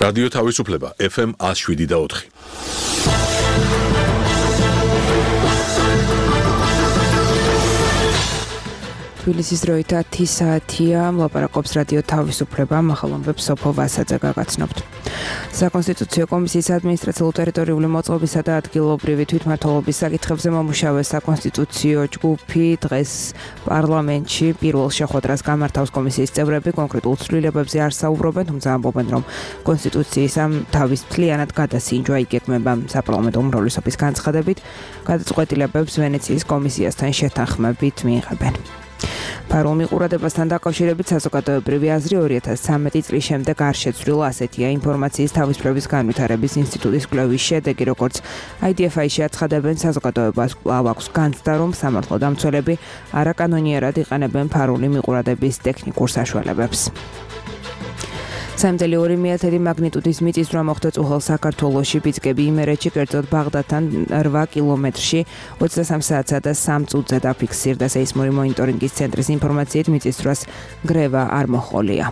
რადიო თავისუფლება FM 107.4. თბილისის დროით 10 საათია, მლაპარაკობს რადიო თავისუფლება, მახალომბებს სოფო ვასაძე გაგაცნობთ. საკონსტიტუციო კომისიის ადმინისტრაციულ-ტერიტორიული მოწყობისა და ადგილობრივი თვითმმართველობის საკითხებზე მომუშავე საკონსტიტუციო ჯგუფი დღეს პარლამენტში პირველ შეხვედრას გამართავს. კომისიის წევრები კონკრეტულ ცვლილებებზე არ საუბრობენ, თუმცა ამბობენ, რომ კონსტიტუციის ამ თავის მთლიანად გადასინჯვა იგეგმება. საპარლამენტო უმრავლესობის განცხადებით, გადაწყვეტილებებს ვენეციის კომისიასთან შეთანხმებით მიიღებენ. ფარულ მიყურებასთან დაკავშირებით საზოგადოებრივი აზრი 2013 წლის შემდეგ არ შეცვლილა, ასეთია ინფორმაციის თავისუფლების განვითარების ინსტიტუტის კვლევის შედეგი, როგორც IDFI-ში აცხადებენ, საზოგადოებას კვლავ აქვს განცდა, რომ სამართლოდამცველები არაკანონიერად იყენებენ ფარული მიყურების ტექნიკურ საშუალებებს. 3.2 მაგნიტუდის მიწისძვრა მოხდა წუხელ საქართველოში, ბიძგები იმერეთში, კერძოდ ბაღდადთან 8 კილომეტრში 23 საათსა და 3 წუთზე დაფიქსირდა. სეისმური მონიტორინგის ცენტრის ინფორმაციით მიწისძვრას გრევა არ მოჰყოლია.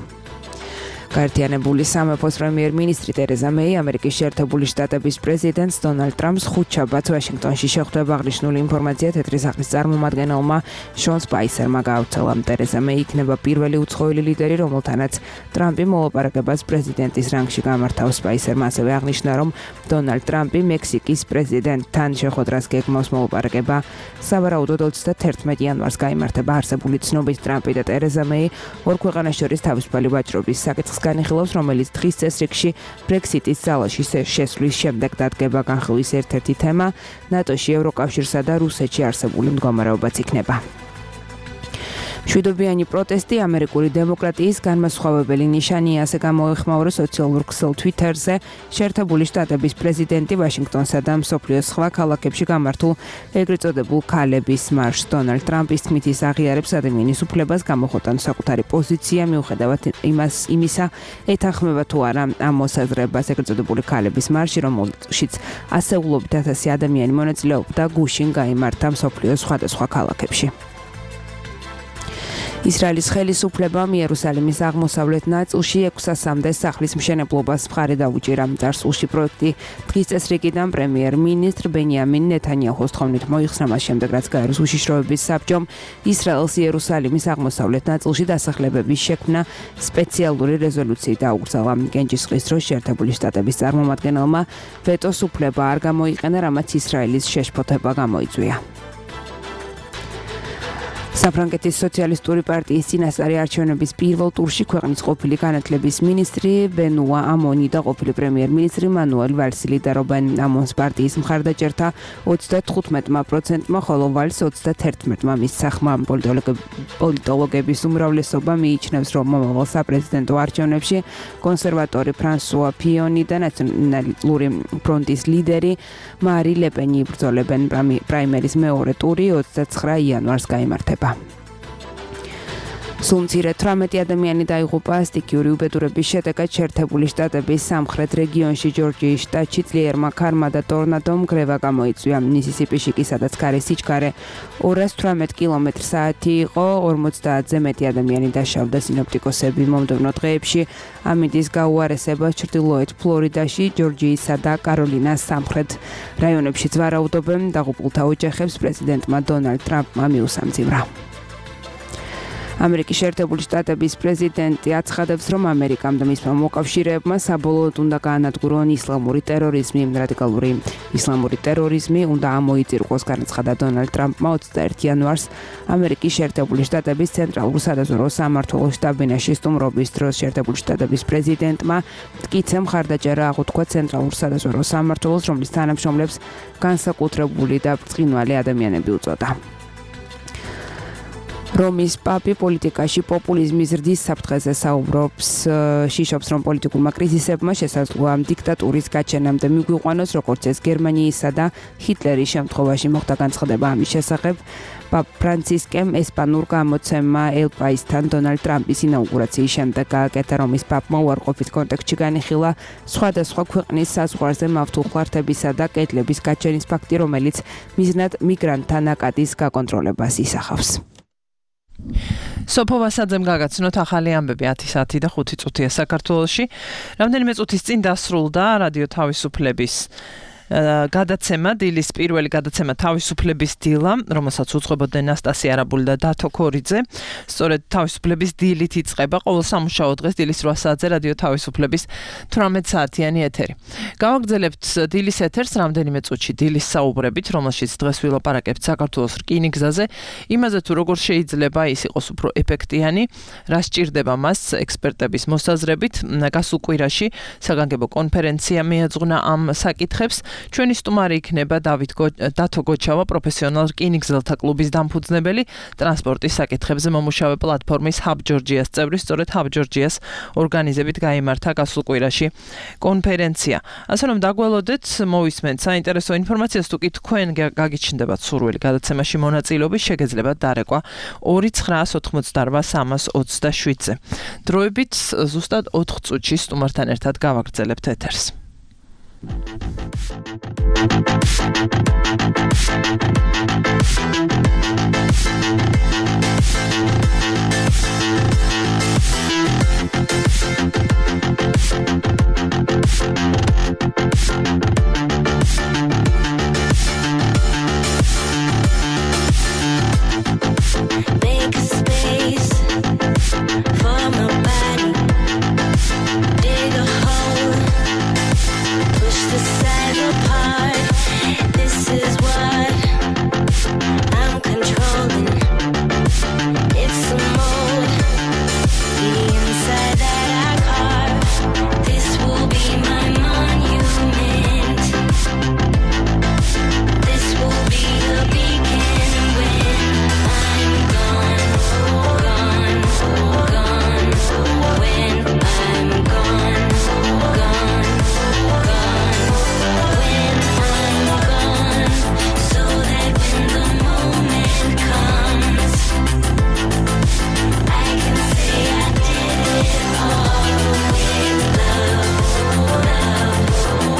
გაერთიანებული სამეფოს პრემიერ-მინისტრი ტერეზა მეი ამერიკის შეერთებული შტატების პრეზიდენტს დონალდ ტრამპს ხუთშაბათს ვაშინგტონში შეხვდება. აღნიშნული ინფორმაცია თეთრი სახლის წარმომადგენელმა შონ სპაისერმა გაავრცელა. ტერეზა მეი იქნება პირველი უცხოელი ლიდერი, რომელთანაც ტრამპი მოლაპარაკებას პრეზიდენტის რანგში გამართავს. სპაისერმა ასევე აღნიშნა, რომ დონალდ ტრამპი მექსიკის პრეზიდენტთან შეხვედრას გეგმავს. მოლაპარაკება სავარაუდოდ 31 იანვარს გაიმართება. არსებული ცნობით ტრამპი და ტერეზა მეი ორ ქვეყანას შორის თავისუფალი ვაჭრობის საკითხს განიხილავს, რომელიც დღის წესრიგში ბრექსიტის ძალაში შესვლის შემდეგ დადგება. განხილვის ერთ-ერთი თემა ნატოში, ევროკავშირსა და რუსეთში არსებული მდგომარეობაც იქნება. მშვიდობიანი პროტესტი ამერიკული დემოკრატიის განმასხვავებელი ნიშანია, ასე გამოეხმაურა სოციალურ ქსელ Twitter-ზე შეერთებული შტატების პრეზიდენტი ვაშინგტონსა და მსოფლიოს სხვა ქალაქებში გამართულ ეგრეთ წოდებულ ქალების მარშს. დონალდ ტრამპის თქმით, ის აღიარებს ადამიანის უფლებას გამოხოტან საკუთარი პოზიცია, მიუხედავად იმისა, ეთანხმება თუ არა ამ მოსაზრებას. ეგრეთ წოდებული ქალების მარში, რომელშიც ასეულობით 1000 ადამიანი მონაწილეობდა, გუშინ გაიმართა მსოფლიოს სხვადასხვა ქალაქებში. ისრაელის ხელისუფლებამ იერუსალიმის აღმოსავლეთ ნაწილში 600-მდე სახლის მშენებლობას მხარი დაუჭირა. წარსულში პროექტი დღის წესრიგიდან პრემიერ-მინისტრ ბენიამინ ნეთანიაჰუს თხოვნით მოიხსნა, მას შემდეგ რაც გაეროს უშიშროების საბჭომ ისრაელს იერუსალიმის აღმოსავლეთ ნაწილში დასახლებების შექმნა სპეციალური რეზოლუციით აუკრძალა. გენჯისყრის დროს შეერთებული შტატების წარმომადგენელმა ვეტოს უფლება არ გამოიყენა, რამაც ისრაელის შეშფოთება გამოიწვია. საფრანგეთის სოციალისტური პარტიის წინასწარი არჩევნების პირველ ტურში ქვეყნის ყოფილი განათლების მინისტრი ბენუა ამონი და ყოფილი პრემიერ-მინისტრი მანუელ ვალსი ლიდერობენ. ამონს პარტიის მხარდაჭერა 35%-მა, ხოლო ვალს 31%-მა მისცახმა. პოლიტოლოგების უმრავლესობა მიიჩნევს, რომ მომავალ საპრეზიდენტო არჩევნებში კონსერვატორი ფრანსუა ფიონი და ნაციონალური ფრონტის ლიდერი მარი ლეპენი იბრძოლებენ. პრაიმერის მეორე ტური 29 იანვარს გაიმართება. სულ მცირე 18 ადამიანი დაიღუპა სტიქიური უბედურების შედეგად შეერთებული შტატების სამხრეთ რეგიონში. ჯორჯიის შტატში ძლიერმა ქარმა და ტორნადომ გრევა გამოიწვია. მისისიპიში კი, სადაც ქარის სიჩქარე 218 კმ/სთ იყო, 50-ზე მეტი ადამიანი დაშავდა. სინოპტიკოსები მომდევნო დღეებში ამინდის გაუარესებას ჩრდილოეთ ფლორიდაში, ჯორჯიისა და კაროლინას სამხრეთ რაიონებშიც ვარაუდობენ. დაღუპულთა ოჯახებს პრეზიდენტმა დონალდ ტრამპმა მიუსამძიმრა. ამერიკის შეერთებული შტატების პრეზიდენტი აცხადებს, რომ ამერიკამ და მისმა მოკავშირეებმა საბოლოოდ უნდა გაანადგურონ ისლამური ტერორიზმი. რადიკალური ისლამური ტერორიზმი უნდა ამოიწირყოს, განაცხადა დონალდ ტრამპმა 21 იანვარს ამერიკის შეერთებული შტატების ცენტრალურ სადაზვერვო სამმართველოს შტაბ-ბინაში სტუმრობის დროს. შეერთებული შტატების პრეზიდენტმა მტკიცე მხარდაჭერა აღუთქვა ცენტრალურ სადაზვერვო სამმართველოს, რომლის თანამშრომლებს განსაკუთრებული და ბრწყინვალე ადამიანები უწოდა. რომის პაპი პოლიტიკაში პოპულიზმის ზრდის საფრთხეზე საუბრობს. შიშობს, რომ პოლიტიკურმა კრიზისებმა შესაძლოა დიქტატურის გაჩენამდე მიგვიყვანოს, როგორც ეს გერმანიისა და ჰიტლერის შემთხვევაში მოხდა. განცხადება ამის შესახებ პაპ ფრანცისკემ ესპანურ გამოცემა El País-თან დონალდ ტრამპის ინაუგურაციის შემდეგ გააკეთა. რომის პაპმა უარყოფით კონტექსტში განიხილა სხვადასხვა ქვეყნის საზღვარზე მავთულხლართებისა და კედლების გაჩენის ფაქტი, რომელიც მიზნად მიგრანტთა ნაკადის გაკონტროლებას ისახავს. სოფო ვასაძემ გაგაცნოთ ახალი ამბები 10 საათი და 5 წუთია საქართველოში. რამდენიმე წუთის წინ დასრულდა რადიო თავისუფლების გადაცემა, დილის პირველი გადაცემა თავისუფლების დილა, რომელსაც უძღვებოდნენ ნასტასია არაბული და დათო ქორიძე. სწორედ თავისუფლების დილით იწყება ყოველ სამუშაო დღეს დილის 8 საათზე რადიო თავისუფლების 18 საათიანი ეთერი. გავაგრძელებთ დილის ეთერს რამდენიმე წუთში დილის საუბრებით, რომელშიც დღეს ვილაპარაკებთ საქართველოს რკინიგზაზე, იმაზე თუ როგორ შეიძლება ის იყოს უფრო ეფექტიანი, რა სჭირდება მას ექსპერტების მოსაზრებით. გასულ კვირაში საგანგებო კონფერენცია მიეძღვნა ამ საკითხებს. ჩვენი სტუმარი იქნება დათო გოჩავა, პროფესიონალ რკინიგზელთა კლუბის დამფუძნებელი, ტრანსპორტის საკითხებზე მომუშავე პლატფორმის Hub Georgia-ს წევრი, სწორედ Hub Georgia-ს ორგანიზებით გაიმართა გასულ კვირაში კონფერენცია. ასე რომ დაგველოდეთ, მოვისმენთ საინტერესო ინფორმაციას, თუ კი თქვენ გაგიჩნდებათ სურვილი გადაცემაში მონაწილეობის, შეგეძლებათ დარეკვა 2988327-ზე. დროებით ზუსტად 4 წუთში სტუმართან ერთად გავაგრძელებთ ეთერს. Make a space for my body. Dig a hole. Push the side apart. This is what I'm controlling. It's a mold. The inside that I carve. This will be my monument. This will be a beacon when I'm gone, gone, gone. When I'm gone, gone, gone. When I'm gone, so that when the moment comes, I can say I did it all with love, love,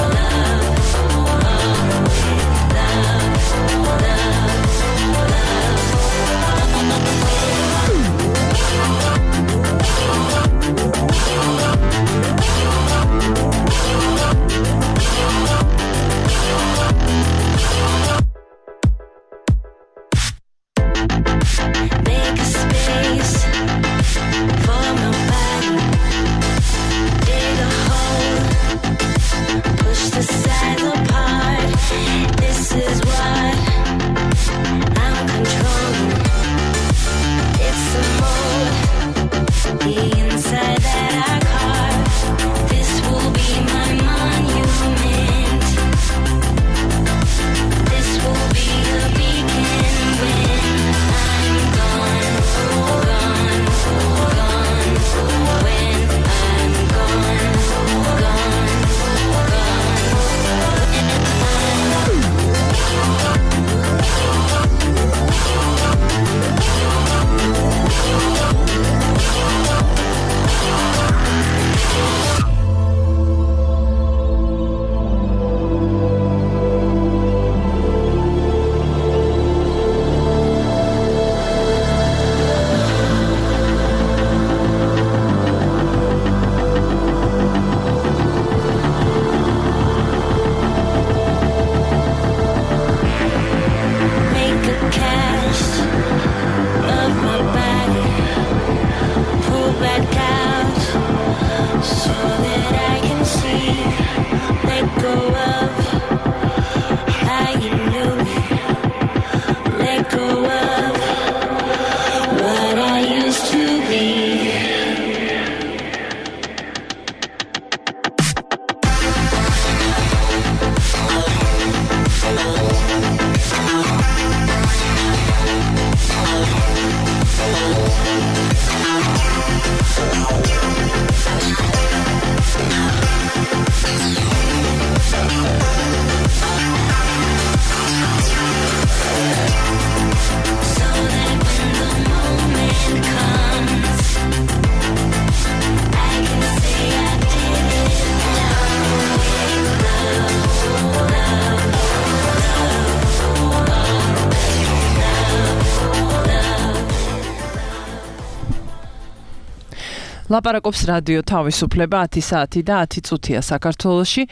love, all with love, Make a space for my body. Dig a hole. Push the sides apart. This is what I'm controlling. It's a mold. The inside that I carve. This will be my monument. This will be a beacon when I'm gone, gone, gone. When I'm gone, gone, make a cast of my body. Pull back out so that I can see. Let go of how you knew me. Let go of what I used to be. So that when the moment comes, I can say I did it all with love, love, love, love. ლაპარაკობს რადიო თავისუფლება 10 საათი და 10 წუთია საქართველოში.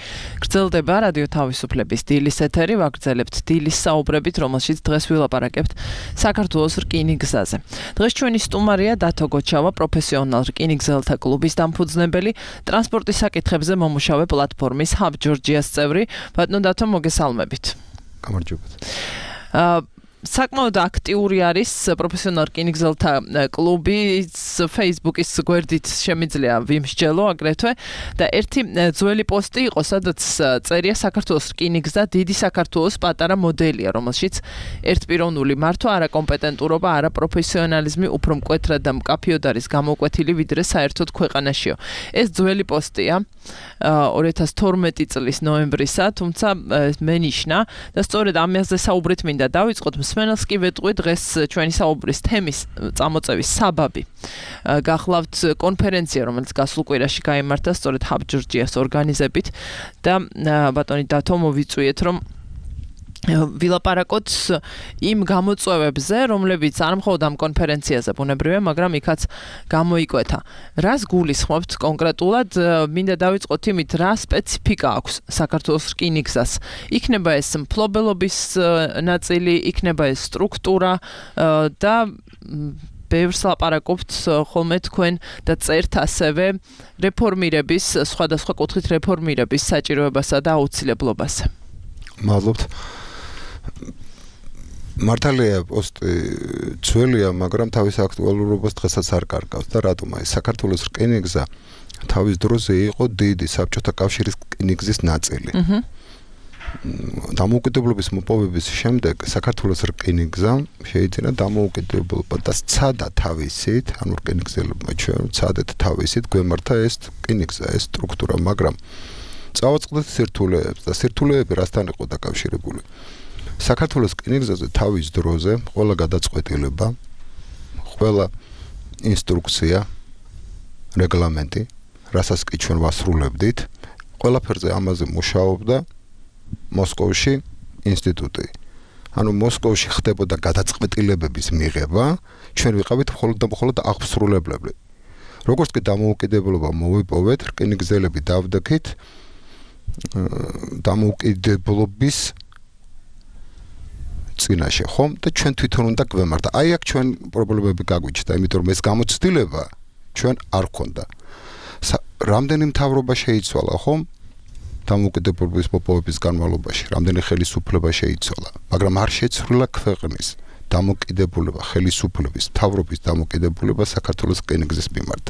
გრძელდება რადიო თავისუფლების დილის ეთერი, ვაგრძელებთ დილის საუბრებით, რომელშიც დღეს ვილაპარაკებთ საქართველოს რკინიგზაზე. დღეს ჩვენი სტუმარია დათო გოჩავა, პროფესიონალ რკინიგზელთა კლუბის დამფუძნებელი, ტრანსპორტის საკითხებზე მომუშავე პლატფორმის Hub Georgia-ს წევრი. ბატონო დათო, მოგესალმებით. გამარჯობათ. საკმაოდ აქტიური არის პროფესიონალ რკინიგზელთა კლუბის Facebook-ის გვერდით შემიძლია ვიმსჯელო აგრეთვე და ერთი ძველი პოსტი იყო, სადაც წერია საქართველოს რკინიგზა დიდი საქართველოს პატარა მოდელია, რომელშიც ერთპიროვნული მართვა, არაკომპეტენტურობა, არაპროფესიონალიზმი უფრო მკვეთრად და მკაფიოდ არის გამოკვეთილი ვიდრე საერთოდ ქვეყანაშიო. ეს ძველი პოსტია 2012 წლის ნოემბრისა, თუმცა მე ნიშნა და სწორედ ამაზე საუბრით მინდა დავიწყოთ. მსმენელს კი ვეტყვი დღეს ჩვენი საუბრის თემის წამოწევის საბაბი. გახლავთ კონფერენცია, რომელიც გასულ კვირაში გაიმართა სწორედ Hub Georgia-ს ორგანიზებით და ბატონი დათო მოვიწვიეთ, რომ ვილაპარაკოთ იმ გამოწვევებზე, რომლებიც არ მხოლოდ ამ კონფერენციაზე ბუნებრივია, მაგრამ იქაც გამოიკვეთა. რას გულისხმობთ კონკრეტულად? მინდა დავიწყოთ იმით, რა სპეციფიკა აქვს საქართველოს რკინიგზას. იქნება ეს მფლობელობის ნაწილი, იქნება ეს სტრუქტურა და ბევრს ლაპარაკობთ ხოლმე თქვენ და წერთ ასევე რეფორმირების, სხვადასხვა კუთხით რეფორმირების საჭიროებასა და აუცილებლობაზე. მადლობთ. მართალია პოსტი ძველია, მაგრამ თავის აქტუალურობას დღესაც არ კარგავს და რატომ? აი საქართველოს რკინიგზა თავის დროზე იყო დიდი საბჭოთა კავშირის რკინიგზის ნაწილი. დამოუკიდებლობის მოპოვების შემდეგ საქართველოს რკინიგზა შეიძინა დამოუკიდებლობა და სცადა თავისით, ანუ რკინიგზელებმა ჩვენ სცადეთ თავისით გვემართა ეს რკინიგზა, ეს სტრუქტურა, მაგრამ წავაწყდეთ სირთულეებს და სირთულეები რასთან იყო დაკავშირებული? საქართველოს რკინიგზაზე თავის დროზე ყველა გადაწყვეტილება, ყველა ინსტრუქცია, რეგლამენტი, რასაც კი ჩვენ ვასრულებდით, ყველაფერზე ამაზე მუშაობდა მოსკოვში ინსტიტუტი. ანუ მოსკოვში ხდებოდა გადაწყვეტილებების მიღება, ჩვენ ვიყავით მხოლოდ და მხოლოდ აღსრულებლები. როგორც კი დამოუკიდებლობა მოვიპოვეთ, რკინიგზელები დავდექით დამოუკიდებლობის წინაშე, ხომ? და ჩვენ თვითონ უნდა გვემართა. აი აქ ჩვენ პრობლემები გაგვიჩნდა, იმიტომ რომ ეს გამოცდილება ჩვენ არ ქონდა. რამდენი მთავრობა შეიცვალა, ხომ? დამოუკიდებლობის მოპოვების განმავლობაში, რამდენი ხელისუფლება შეიცვალა, მაგრამ არ შეცვლილა ქვეყნის დამოუკიდებლობა, ხელისუფლების, მთავრობის დამოუკიდებლობა საქართველოს რკინიგზის მიმართ.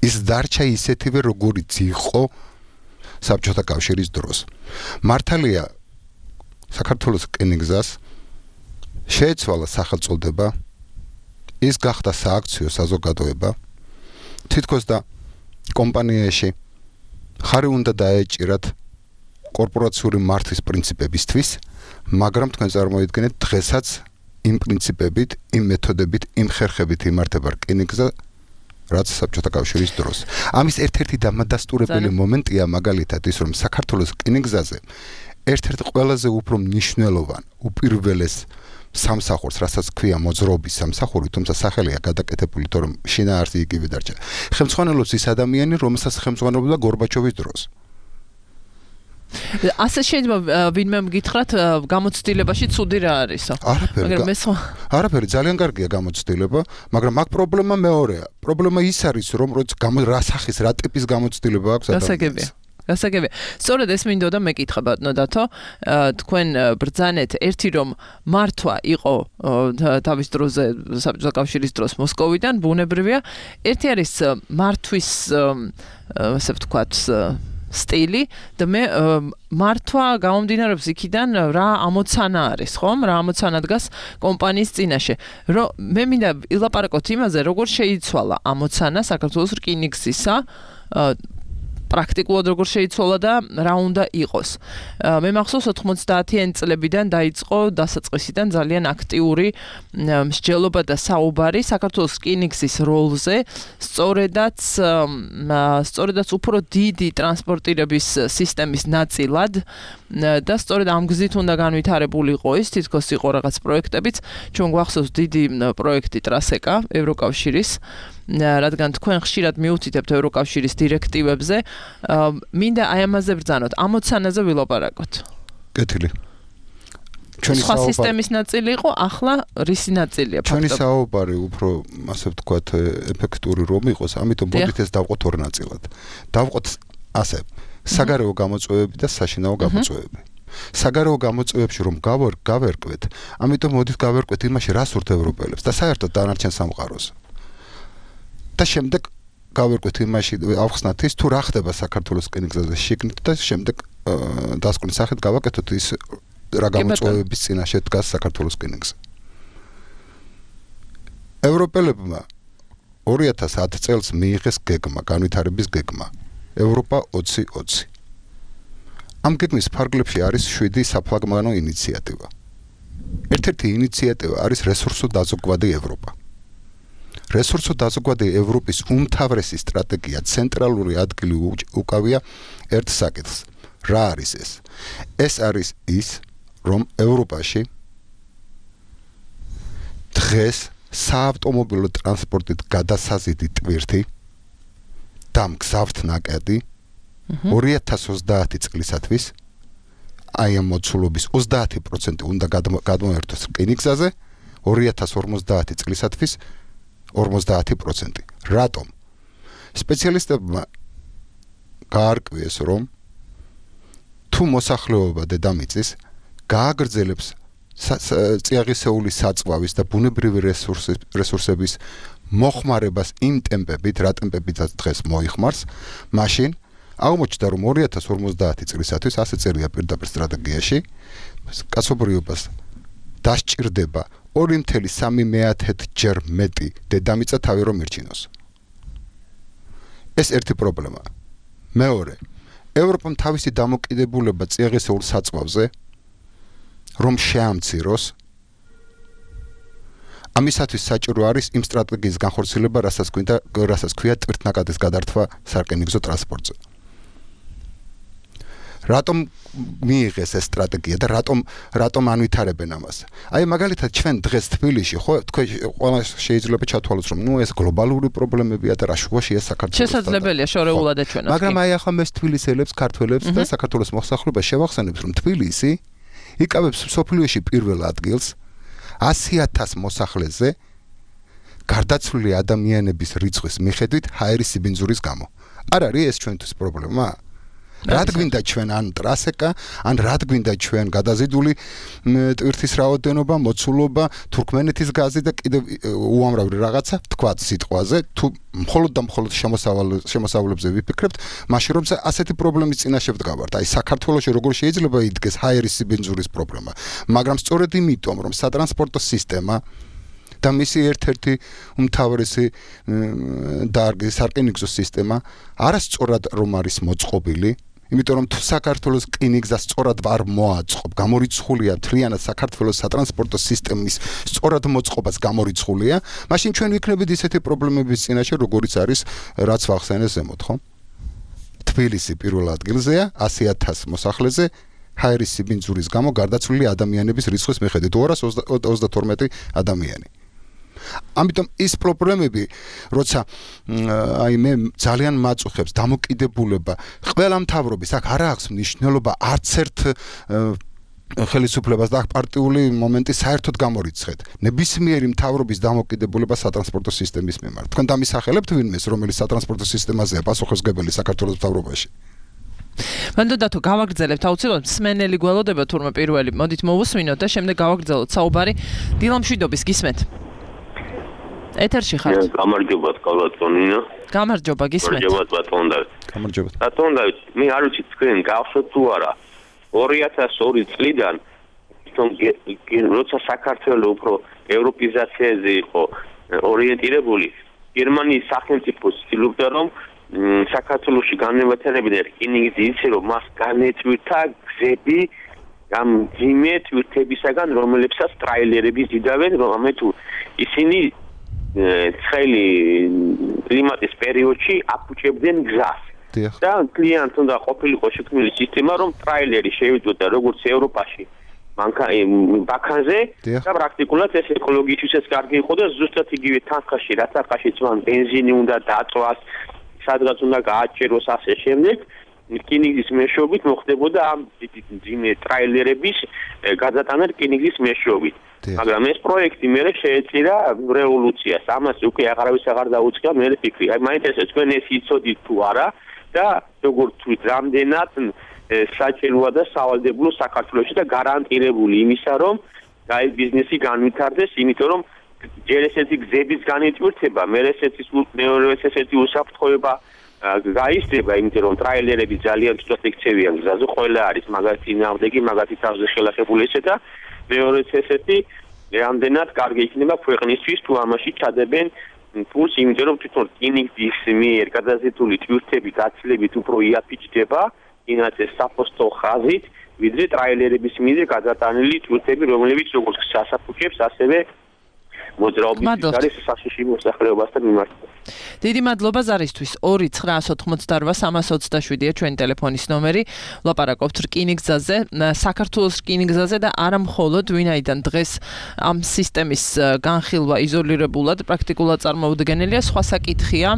ის დარჩა ისეთივე, როგორიც იყო საბჭოთა კავშირის დროს. მართალია საქართველოს რკინიგზას შეეცვალა სახელწოდება, ის გახდა სააქციო საზოგადოება, თითქოს და კომპანიაში ხარი უნდა დაეჭირათ კორპორაციული მართვის პრინციპებისთვის, მაგრამ თქვენ წარმოიდგინეთ დღესაც იმ პრინციპებით, იმ მეთოდებით, იმ ხერხებით იმართება რკინიგზა, რაც საბჭოთა კავშირის დროს. ამის ერთ-ერთი დამადასტურებელი მომენტია მაგალითად ის, რომ საქართველოს რკინიგზაზე ერთ-ერთი ყველაზე უფრო მნიშვნელოვანი, უპირველეს სამსახურს, რასაც ქვია მოძრაობის სამსახური, თუმცა სახელია გადაკეთებული, თორემ შინაარსი იგივე დარჩა. ხელმძღვანელობს ის ადამიანი, რომელსაც ხელმძღვანელობდა გორბაჩოვის დროს. ასე შეიძლება ვინმე მგითხრათ გამოცდილებაში ცუდი რა არისო? არაფერი, ძალიან კარგია გამოცდილება, მაგრამ აქ პრობლემა მეორეა. პრობლემა ის არის, რომ რა სახის, რა ტიპის გამოცდილება აქვს ადამიანს. გასაგებია. სწორედ ეს მინდოდა მეკითხა ბატონო დათო, თქვენ ბრძანეთ ერთი რომ მართვა იყო თავის დროზე საბჭოთა კავშირის დროს მოსკოვიდან, ბუნებრივია, ერთი არის მართვის ასე ვთქვათ სტილი და მე მართვა გამომდინარეობს იქიდან რა ამოცანა არის, ხომ? რა ამოცანა დგას კომპანიის წინაშე. მე მინდა ილაპარაკოთ იმაზე, როგორ შეიცვალა ამოცანა საქართველოს რკინიგზისა პრაქტიკულად როგორ შეიცვალა და რა უნდა იყოს. მე მახსოვს 90-იანი წლებიდან დაიწყო დასაწყისიდან ძალიან აქტიური მსჯელობა და საუბარი საქართველოს რკინიგზის როლზე, სწორედაც უფრო დიდი ტრანსპორტირების სისტემის ნაწილად და სწორედ ამ გზით უნდა განვითარებულიყო ის, თითქოს იყო რაღაც პროექტებიც, ჩვენ გვახსოვს დიდი პროექტი ტრასეკა ევროკავშირის რადგან თქვენ ხშირად მიუთითებთ ევროკავშირის დირექტივებზე, მინდა აი ამაზე ბრძანოთ, ამოცანაზე ვილაპარაკოთ. კეთილი. სხვა სისტემის ნაწილი იყო, ახლა რისი ნაწილია ჩვენი ფაქტობრივად? საუბარი უფრო ასე ვთქვათ ეფექტური რომ იყოს, ამიტომ მოდით ეს დავყოთ ორ ნაწილად. დავყოთ ასე, საგარეო გამოწვევები და საშინაო გამოწვევები. საგარეო გამოწვევებში რომ გავერკვეთ, ამიტომ მოდით გავერკვეთ იმაში, რა სურთ ევროპელებს და საერთოდ დანარჩენ სამყაროს. და შემდეგ გავერკვეთ იმაში, ავხსნათ ის თუ რა ხდება საქართველოს რკინიგზაზე შიგნით და შემდეგ დასკვნის სახით გავაკეთოთ ის რა გამოწვევების წინაშე დგას საქართველოს რკინიგზა. ევროპელებმა 2010 წელს მიიღეს გეგმა, განვითარების გეგმა. ევროპა 2020. ამ გეგმის ფარგლებში არის 7 საფლაგმანო ინიციატივა. ერთ-ერთი ინიციატივა არის რესურსო დაზოგვადი ევროპა. რესურსო დაზოგვადი ევროპის უმთავრესი სტრატეგია ცენტრალური ადგილი უკავია ერთ საკითხს. რა არის ეს? ეს არის ის, რომ ევროპაში დღეს საავტომობილო ტრანსპორტით გადასაზიდი ტვირთი და მგზავრთ ნაკადი 2030 წლისათვის აი ამ მოცულობის 30% უნდა გადმოერთოს რკინიგზაზე, 2050 წლისათვის 50%. რატომ? სპეციალისტებმა გაარკვიეს, რომ თუ მოსახლეობა დედამიწის გააგრძელებს წიაღისეულის საწვავის და ბუნებრივი რესურსების მოხმარებას იმ ტემპებით, რა ტემპებითაც დღეს მოიხმარს, მაშინ აღმოჩნდა, რომ 2050 წლისათვის ასე წერია პირდაპირ სტრატეგიაში, კაცობრიობას დასჭირდება 2.3 ჯერ მეტი დედამიწა თავი რომ ირჩინოს. ეს ერთი პრობლემაა. მეორე, ევროპამ თავისი დამოკიდებულება წიაღისეულ საწვავზე რომ შეამციროს, ამისათვის საჭირო არის იმ სტრატეგიის განხორციელება, რასაც ქვია ტვირთნაკადის გადართვა სარკინიგზო ტრანსპორტზე. რატომ მიიღეს ეს სტრატეგია და რატომ ანვითარებენ ამას? აი მაგალითად ჩვენ დღეს თბილისში ხო თქვენ ყველა შეიძლება ჩათვალოთ რომ ეს გლობალური პრობლემებია და რა შუაშია საქართველოს. შესაძლებელია შორეულად ეჩვენოს. მაგრამ აი ახლა მე თბილისელებს, ქართველებს და საქართველოს მოსახლეობას შევახსენებს რომ თბილისი იკავებს სოფლიოში პირველ ადგილს 100,000 მოსახლეზე გარდაცვლილი ადამიანების რიცხვის მიხედვით ჰაერის სიბინძურის გამო. არ არის ეს ჩვენთვის პრობლემა? რად გვინდა ჩვენ ან ტრასეკა, ან რად გვინდა ჩვენ გადაზიდული ტვირთის რაოდენობა, მოცულობა, თურქმენეთის გაზი და კიდევ უამრავი რაღაცა თქვათ სიტყვაზე, თუ მხოლოდ და მხოლოდ შემოსავლებზე ვიფიქრებთ, მაშინ რომ ასეთი პრობლემის წინაშე ვდგავართ. აი საქართველოში როგორ შეიძლება იდგეს ჰაერის სიბინძურის პრობლემა, მაგრამ სწორედ იმიტომ, რომ სატრანსპორტო სისტემა და მისი ერთ-ერთი უმთავრესი დარგი სარკინიგზო სისტემა არასწორად რომ არის მოწყობილი, იმიტომ რომ თუ საქართველოს რკინიგზა სწორად არ მოაწყობ, გამორიცხულია მთლიანად საქართველოს სატრანსპორტო სისტემის სწორად მოწყობას გამორიცხულია, მაშინ ჩვენ ვიქნებით ისეთი პრობლემების წინაშე, როგორიც არის რაც ვახსენე ზემოთ, ხო? თბილისი პირველ ადგილზეა 100,000 მოსახლეზე ჰაერის სიბინძურის გამო გარდაცვლილი ადამიანების რიცხვის მიხედვით 232 ადამიანი. ამიტომ ის პრობლემები, როცა აი მე ძალიან მაწუხებს დამოკიდებულება ყველა მთავრობის, აქ არ აქვს მნიშვნელობა არც ერთ ხელისუფლებას და პარტიული მომენტი საერთოდ გამორიცხეთ. ნებისმიერი მთავრობის დამოკიდებულება სატრანსპორტო სისტემის მიმართ. თქვენ დამისახელებთ ვინმეს, რომელიც სატრანსპორტო სისტემაზეა პასუხისმგებელი საქართველოს მთავრობაში? მანდოდათო გავაგრძელებთ აუცილებლად მსმენელი გველოდება თურმე პირველი მოდით მოვუსმინოთ და შემდეგ გავაგრძელოთ საუბარი დილამშვიდობის გისმენთ ეთერში ხართ გამარჯობა კალატონინა გამარჯობა გისმენთ გამარჯობა ბატონ დავით გამარჯობა ბატონ დავით მე არ ვიცი თქვენ გავხსოთ თუ არა 2002 წლიდან როცა საქართველოს უფრო ევროპიზაციაზე იყო ორიენტირებული გერმანიის სახელმწიფო ცდილობდა რომ საქართველოში განმეორებინა რკინიგზის რომ მას განეწვირთა გზები ამ ძიმე თვირთებისაგან რომლებსაც ტრაილერები ზიდავენ რომ ამე თუ ისინი ცხელი კლიმატის პერიოდში აფუჭებდნენ გზას და კლიენტ უნდა ყოფილიყო შექმნილი სისტემა რომ ტრაილერი შევიდოდა როგორც ევროპაში ბაქანზე და პრაქტიკულად ეს ეკოლოგიისთვისაც კარგი იყო და ზუსტად იგივე თანხაში რაც ახაში წვან ბენზინი უნდა დაწვას სადღაც უნდა გააჭეროს ასე შემდეგ რკინიგზის მეშვეობით მოხდებოდა ამ ძიმე ტრაილერების გადატანა რკინიგზის მეშვეობით მაგრამ ეს პროექტი მერე შეეწირა რევოლუციას ამას უკვე აღარავის აღარ დაუწყია მე ფიქრი აი მაინტერესებს თქვენ ეს იცოდით თუ არა და როგორ თვით რამდენად საჭიროა და სავალდებულო საქართველოში და გარანტირებული იმისა რომ აი ბიზნესი განვითარდეს იმიტომ რომ ჯერ ესეთი გზების განვითარება მეორე ესეთი უსაფრთხოება გაიზრდება იმიტომ რომ ტრაილერები ძალიან ცუდად იქცევიან გზაზე ყველა არის მაგათი ნავდეგი მაგათი თავზე ხელახებული ესე და მეორე ესეთი რამდენად კარგი იქნება ქვეყნისთვის თუ ამაში ჩადებენ ფულს იმიტომ რომ თვითონ რკინიგზის მიერ გადაზიდული ტვირთები გაცილებით უფრო იაფიჭდება ინაც ეს საფოსტო ხაზით ვიდრე ტრაილერების მიერ გადატანილი ტვირთები რომლებიც როგორც სასაფუჭებს ასევე მოძრაობის არის საშიში მოსახლეობასთან მიმართება. დიდი მადლობა ზარისთვის 2-988-327-ია ჩვენი ტელეფონის ნომერი. ვლაპარაკობთ რკინიგზაზე, საქართველოს რკინიგზაზე და არა მხოლოდ ვინაიდან დღეს ამ სისტემის განხილვა იზოლირებულად პრაქტიკულად წარმოუდგენელია, სხვა საკითხია,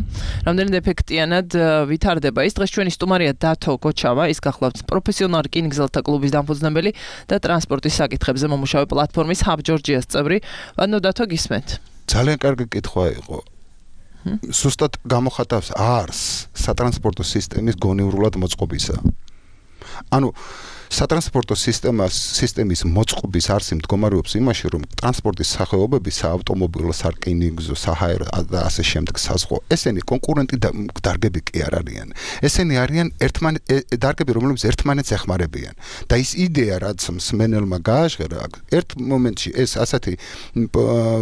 რამდენად ეფექტიანად ვითარდება ის. დღეს ჩვენი სტუმარია დათო გოჩავა, ის გახლავთ პროფესიონალ რკინიგზელთა კლუბის დამფუძნებელი და ტრანსპორტის საკითხებზე მომუშავე პლატფორმის Hub Georgia-ს წევრი. ანუ დათო გისმენთ. ძალიან კარგი კითხვა იყო. Სუსტად გამოხატავს არს სატრანსპორტო სისტემის გონივრულად მოწყობისა. ანუ სატრანსპორტო სისტემის მოწყობის არსი მდგომარეობს იმაში, რომ ტრანსპორტის სახეობები საავტომობილო, სარკინიგზო, საჰაერო და ასე შემდეგ საზღვაო, ესენი კონკურენტი დარგები კი არ არიან. ესენი არიან დარგები, რომლებიც ერთმანეთს ეხმარებიან. და ის იდეა, რაც მსმენელმა გააჟღერა, ერთ მომენტში ეს ასეთი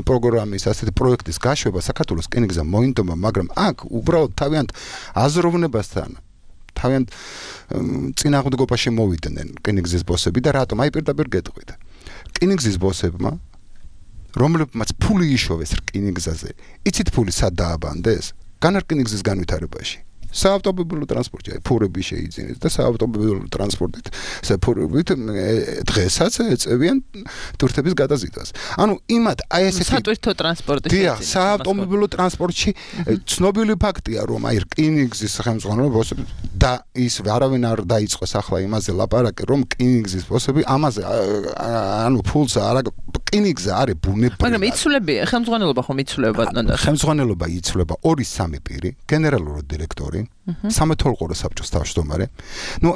პროგრამის, ასეთი პროექტის გაშვება საქართველოს რკინიგზა მოინდომა, მაგრამ აქ უბრალოდ თავიანთ აზროვნებასთან თავიანთ წინააღმდეგობაში მოვიდნენ რკინიგზის ბოსები და რატომ აი პირდაპირ გეტყვით. რკინიგზის ბოსებმა რომლებმაც ფული იშოვეს რკინიგზაზე, იცით ფული სად დააბანდეს? განარკინიგზის განვითარებაში. საავტომობილო ტრანსპორტი ფურები შეიძინეს და საავტომობილო ტრანსპორტით საფურებით დღესაც ეწევიან ტვირთების გადაზიდვას. ანუ იმათ აი ესეთი სატვირთო ტრანსპორტის დიახ, საავტომობილო ტრანსპორტში ცნობილი ფაქტია, რომ აი რკინიგზის სახელმძღვანელო ბოსები და ის არავინ არ დაიწყოს ახლა იმაზე ლაპარაკი, რომ რკინიგზის ბოსები ამაზე ანუ ფულს არა რკინიგზა არის ბუნებრივი. მაგრამ იცვლები ხელმძღვანელობა ხომ იცვლება ბატონო? ხელმძღვანელობა იცვლება 2-3 პირი, გენერალური დირექტორი სამეთოლყურო საბჭოს თავმჯდომარე. ნუ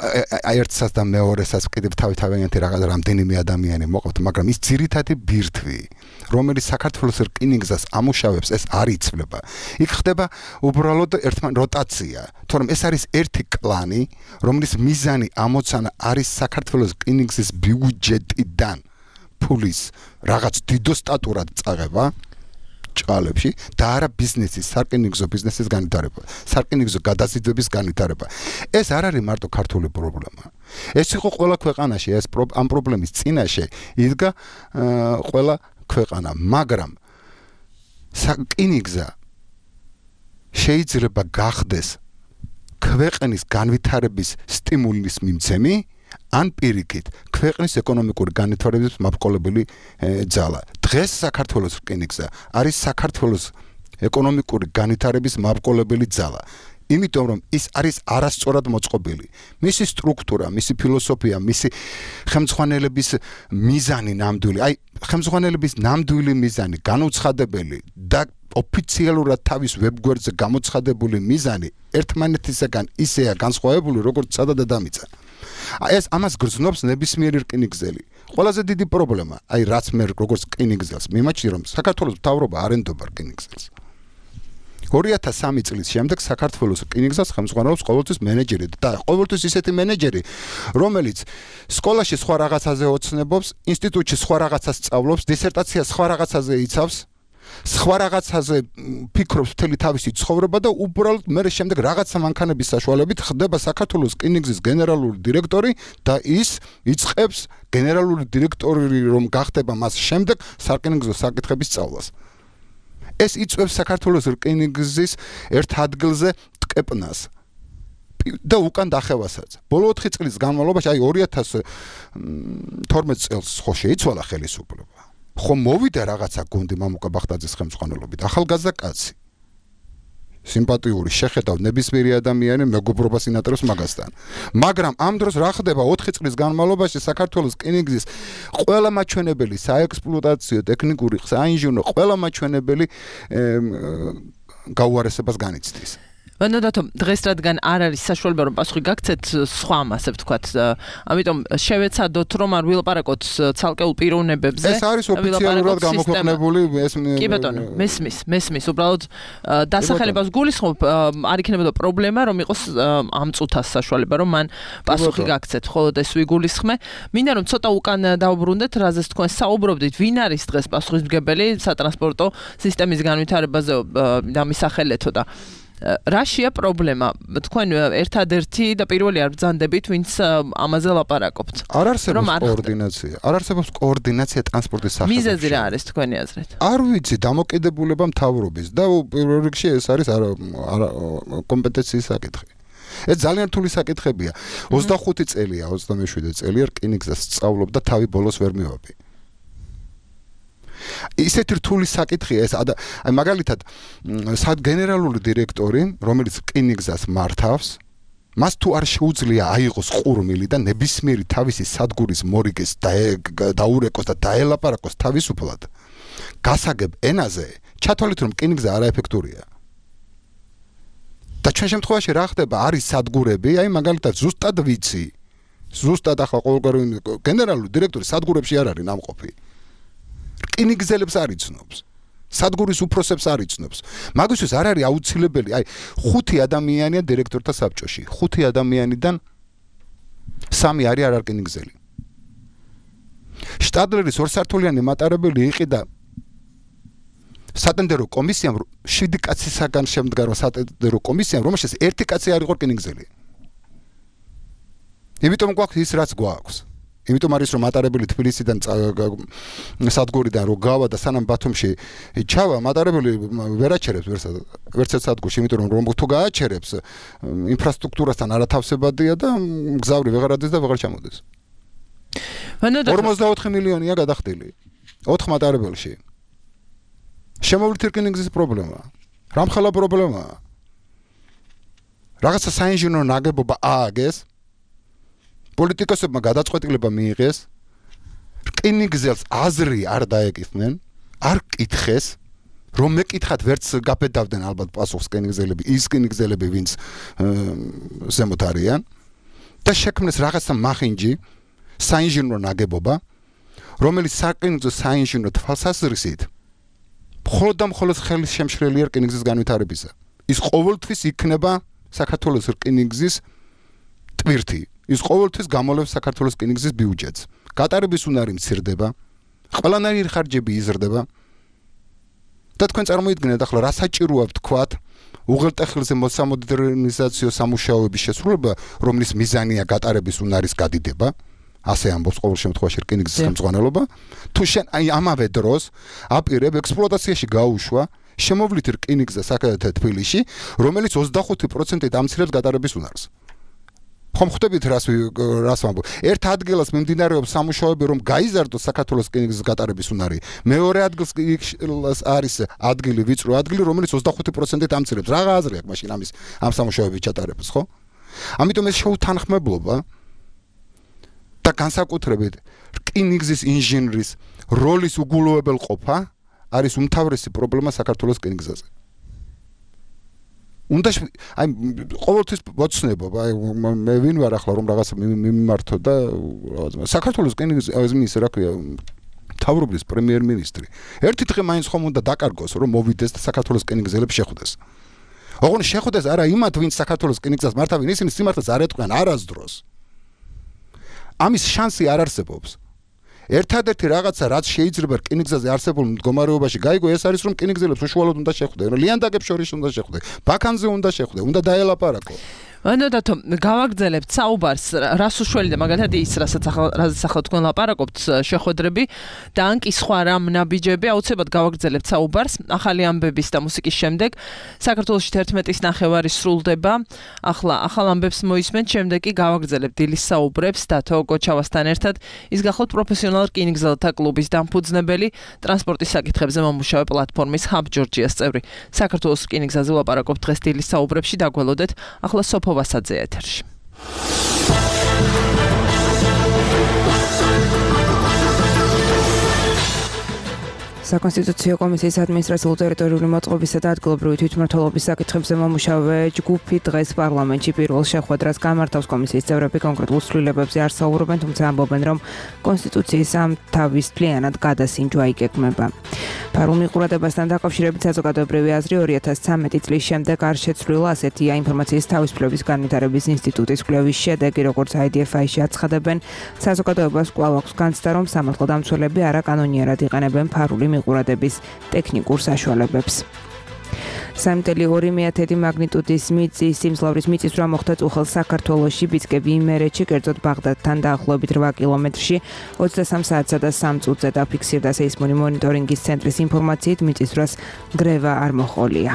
ერთსაც და მეორესაც კიდევ თავიანთი რამდენიმე ადამიანი მოყავთ, მაგრამ ის ძირითადი ბირთვი, რომელიც საქართველოს რკინიგზას ამუშავებს, ეს არ იცვლება. იქ ხდება უბრალოდ ერთმან როტაცია, თორემ ეს არის ერთი კლანი, რომლის მიზანი ამოცანა არის საქართველოს რკინიგზის ბიუჯეტიდან ფულის რაღაც დიდო სტატურად წაღება ჭალებში და არა ბიზნესის, სარკინიგზო ბიზნესის განვითარება, სარკინიგზო გადაზიდვების განვითარება. ეს არ არის მარტო ქართული პრობლემა. ეს იყო ყველა ქვეყანაში, ეს ამ პრობლემის წინაშე იდგა ყველა ქვეყანა, მაგრამ რკინიგზა შეიძლება გახდეს ქვეყნის განვითარების სტიმულის მიმცემი ან პირიქით ქვეყნის ეკონომიკური განვითარების მაბრძოლებელი ძალა. დღეს საქართველოს რკინიგზა არის საქართველოს ეკონომიკური განვითარების მაბრძოლებელი ძალა. იმიტომ რომ ის არის არასწორად მოწყობილი. მისი სტრუქტურა, მისი ფილოსოფია, მისი ხელმძღვანელების მიზანი ნამდვილი, აი ხელმძღვანელების ნამდვილი მიზანი, განუცხადებელი და ოფიციალურად თავის ვებგვერდზე გამოცხადებული მიზანი ერთმანეთისაგან ისეა განსხვავებული, როგორც სადა დედამიწა. ეს ამას გრძნობს ნებისმიერი რკინიგზელი. ყველაზე დიდი პრობლემა, აი რაც მე როგორც რკინიგზელს მიმაჩნია, რომ საქართველოს მთავრობა არ ენდობა რკინიგზელს. 2003 წლის შემდეგ საქართველოს რკინიგზას ხელმძღვანელობს ყოველთვის მენეჯერი და ყოველთვის ისეთი მენეჯერი, რომელიც სკოლაში სხვა რაღაცაზე ოცნებობს, ინსტიტუტში სხვა რაღაცას სწავლობს, დისერტაციას სხვა რაღაცაზე იცავს, სხვა რაღაცაზე ფიქრობს მთელი თავისი ცხოვრება და უბრალოდ მე შემდეგ რაღაცა მანქანების საშუალებით ხდება საქართველოს რკინიგზის გენერალური დირექტორი და ის იწყებს გენერალური დირექტორი რომ გახდება მას შემდეგ სარკინიგზო საკითხების სწავლას. ეს იწვევს საქართველოს რკინიგზის ერთ ადგილზე ტკეპნას. და უკან დახევასაც. ბოლო 4 წლის განმავლობაში, აი 2012 წელს ხო შეიცვალა ხელისუფლება. ხო მოვიდა რაღაცა გუნდი მამუკა ბახტაძის ხელმძღვანელობით, ახალგაზრდა კაცი. სიმპათიური შეხედავ ნებისმიერი ადამიანი მეგობრობას ინატრებს მაგასთან. მაგრამ ამ დროს რა ხდება 4 წლის განმავლობაში საქართველოს რკინიგზის ყველა მაჩვენებელი საექსპლუატაციო ტექნიკური საინჟინრო ყველა მაჩვენებელი გაუარესებას განიცდის. ვანოდათო დღეს რადგან არ არის საშუალება რომ პასუხი გაგცეთ სხვა ასე ვთქვათ ამიტომ შევეცადოთ რომ არ ვილაპარაკოთ ცალკეულ პიროვნებებზე ეს არის ოფიციალურად გამოქვეყნებული ეს კი ბატონო მესმის უბრალოდ დასახელებას გულისხმობ არ იქნებოდა პრობლემა რომ იყოს ამ წუთას საშუალება რომ მან პასუხი გაგცეთ ხოლო ეს ვიგულისხმე მინდა რომ ცოტა უკან დავბრუნდეთ რაზეც თქვენ საუბრობდით ვინ არის დღეს პასუხისმგებელი სატრანსპორტო სისტემის განვითარებაზე დამისახელეთო და რაშია პრობლემა? თქვენ ერთადერთი და პირველი არ ბრძანდებით, ვინც ამაზე ლაპარაკობთ. არ არსებობს კოორდინაცია. არ არსებობს კოორდინაცია ტრანსპორტის სახელმწიფოში. მიზეზი რა არის თქვენი აზრით? არ ვიცი, დამოკიდებულება მთავრობის და პირველ რიგში ეს არის კომპეტენციის საკითხი. ეს ძალიან რთული საკითხებია. 25 წელია, 27 წელია რკინიგზას სწავლობ და თავი ბოლოს ვერ მივაბი. ისეთი რთული საკითხია ეს აი მაგალითად გენერალური დირექტორი რომელიც რკინიგზას მართავს მას თუ არ შეუძლია აიღოს ყურმილი და ნებისმიერი თავისი სადგურის მორიგეს დაურეკოს და დაელაპარაკოს თავისუფლად გასაგებ ენაზე ჩათვალეთ რომ რკინიგზა არაეფექტურია და ჩვენ შემთხვევაში რა ხდება არის სადგურები აი მაგალითად ზუსტად ვიცი ზუსტად ახლა ყოველგვარი გენერალური დირექტორი სადგურებში არ არის ნამყოფი რკინიგზელებს არ იცნობს. სადგურის უფროსებს არ იცნობს. მაგისთვის არ არის აუცილებელი, აი 5 ადამიანია დირექტორთა საბჭოში. 5 ადამიანიდან 3 არის არ რკინიგზელი. შტადლერის ორსართულიანი მატარებელი იყიდა სატენდერო კომისიამ 7 კაცისაგან შემდგარმა სატენდერო კომისიამ, რომელშიც 1 კაცი არ იყო რკინიგზელი. იმიტომ გვაქვს ის რაც გვაქვს. იმიტომ არის რომ მატარებელი თბილისიდან სადგურიდან რო გავა და სანამ ბათუმში ჩავა მატარებელი ვერ აჩერებს ვერცერთ სადგურში იმიტომ რომ თუ გააჩერებს ინფრასტრუქტურასთან არათავსებადია და გზავრი ვეღარ ადის და ვეღარ ჩამოდის 44 მილიონია გადახდილი 4 მატარებელში შემოვლით რკინიგზის პრობლემა რამხელა პრობლემაა რაღაცა საინჟინრო ნაგებობა ააგეს პოლიტიკოსებმა გადაწყვეტილება მიიღეს რკინიგზელს აზრი არ დაეკითხნენ არ კითხეს რომ მეკითხათ ვერც გაბედავდნენ ალბათ პასუხს რკინიგზელები ის რკინიგზელები ვინც ზემოთ არიან და შექმნეს რაღაცა მახინჯი საინჟინრო ნაგებობა რომელიც საკინგზო საინჟინრო თვალსაზრისით მხოლოდ და მხოლოდ ხელის შემშლელია რკინიგზის განვითარებისა ის ყოველთვის იქნება საქართველოს რკინიგზის ტვირთი ის ყოველთვის გამოლევს საქართველოს რკინიგზის ბიუჯეტს. გატარების უნარი მცირდება, ყველანაირი ხარჯები იზრდება. და თქვენ წარმოიდგინეთ ახლა რა საჭიროა ვთქვათ, უღელტეხილზე მოსამოდერნიზაციო სამუშაოების შესრულება, რომლის მიზანია გატარების უნარის გადიდება, ასე ამბობს ყოველ შემთხვევაში რკინიგზის ხელმძღვანელობა, თუ შენ აი ამავე დროს აპირებ ექსპლუატაციაში გაუშვა შემოვლით რკინიგზა საკადათე თბილისში, რომელიც 25%-ით ამცირებს გატარების უნარს. ხომ ხვდებით რას ვამბობ? ერთ ადგილას მიმდინარეობს სამუშაოები, რომ გაიზარდოს საქართველოს რკინიგზის გატარების უნარი. მეორე ადგილს არის ადგილი, ვიწრო ადგილი, რომელიც 25%-ით ამცირებს. რა აზრი აქვს მაშინ ამ სამუშაოების ჩატარებას, ხო? ამიტომ ეს შეუთანხმებლობა და განსაკუთრებით რკინიგზის ინჟინრის როლის უგულოებელყოფა არის უმთავრესი პრობლემა საქართველოს რკინიგზაზე. უნდა აი ყოველთვის ვოცნებობ აი მე ვინ ვარ ახლა რომ რაღაცა მიმართო და საქართველოს რკინიგზის რა ქვია მთავრობის პრემიერ-მინისტრი ერთი დღე მაინც ხომ უნდა დაკარგოს რომ მოვიდეს და საქართველოს რკინიგზელებს შეხვდეს ოღონდ შეხვდეს არა იმათ ვინც საქართველოს რკინიგზას მართავენ ისინი სიმართლეს არ ეტყვიან არასდროს ამის შანსი არ არსებობს ერთადერთი რაღაცა რაც შეიძლება რკინიგზაზე არსებულ მდგომარეობაში გაიგო ეს არის რომ რკინიგზელებს უშუალოდ უნდა შეხვდე ლიანდაგებს შორის უნდა შეხვდე ბაქანზე უნდა შეხვდე უნდა დაელაპარაკო ანუ დათო გავაგრძელებთ საუბარს რას უშველი და მაგალითად ის რასაც ახლა თქვენ ლაპარაკობთ შეხვედრები და ან კი სხვა რამ ნაბიჯები აუცილებლად გავაგრძელებთ საუბარს ახალი ამბების და მუსიკის შემდეგ საქართველოში 11-ის ნახევარი სრულდება ახლა ახალ ამბებს მოისმენთ შემდეგ კი გავაგრძელებთ დილის საუბრებს დათო გოჩავასთან ერთად ის გახლავთ პროფესიონალ რკინიგზელთა კლუბის დამფუძნებელი ტრანსპორტის საკითხებზე მომუშავე პლატფორმის Hub Georgia-ს წევრი საქართველოს რკინიგზაზე ლაპარაკობთ დღეს დილის საუბრებში დაგველოდეთ ახლა სოფო ვასაძე ეთერში. საკონსტიტუციო კომისიის ადმინისტრაციულ-ტერიტორიული მოწყობისა და ადგილობრივი თვითმმართველობის საკითხებზე მომუშავე ჯგუფი დღეს პარლამენტში პირველ შეხვედრას გამართავს. კომისიის წევრები კონკრეტულ ცვლილებებზე არ საუბრობენ, თუმცა ამბობენ, რომ კონსტიტუციის ამ თავისუფლიანად გადასინჯვა იგეგმება. ფარულ მიყურებასთან დაკავშირებით საზოგადოებრივი აზრი 2013 წლის შემდეგ არ შეცვლილა, ასეთია ინფორმაციის თავისუფლების განვითარების ინსტიტუტის კვლევის შედეგი, როგორც IDFI-ში აცხადებენ, საზოგადოებას კვლავ აქვს განცდა, რომ სამართალდამცველები არაკანონიერად იყენებენ ფარული მიყურადების ტექნიკურ საშუალებებს. 3.2 მაგნიტუდის მიწის სიმძლავრის მიწისძვრა მოხდა წუხელ საქართველოში, ბიცკები იმერეთში, კერძოდ ბაღდადთან დაახლოებით 8 კილომეტრში 23 საათსა და 3 წუთზე დაფიქსირდა სეისმური მონიტორინგის ცენტრის ინფორმაციით, მიწისძვრას გრევა არ მოჰყოლია.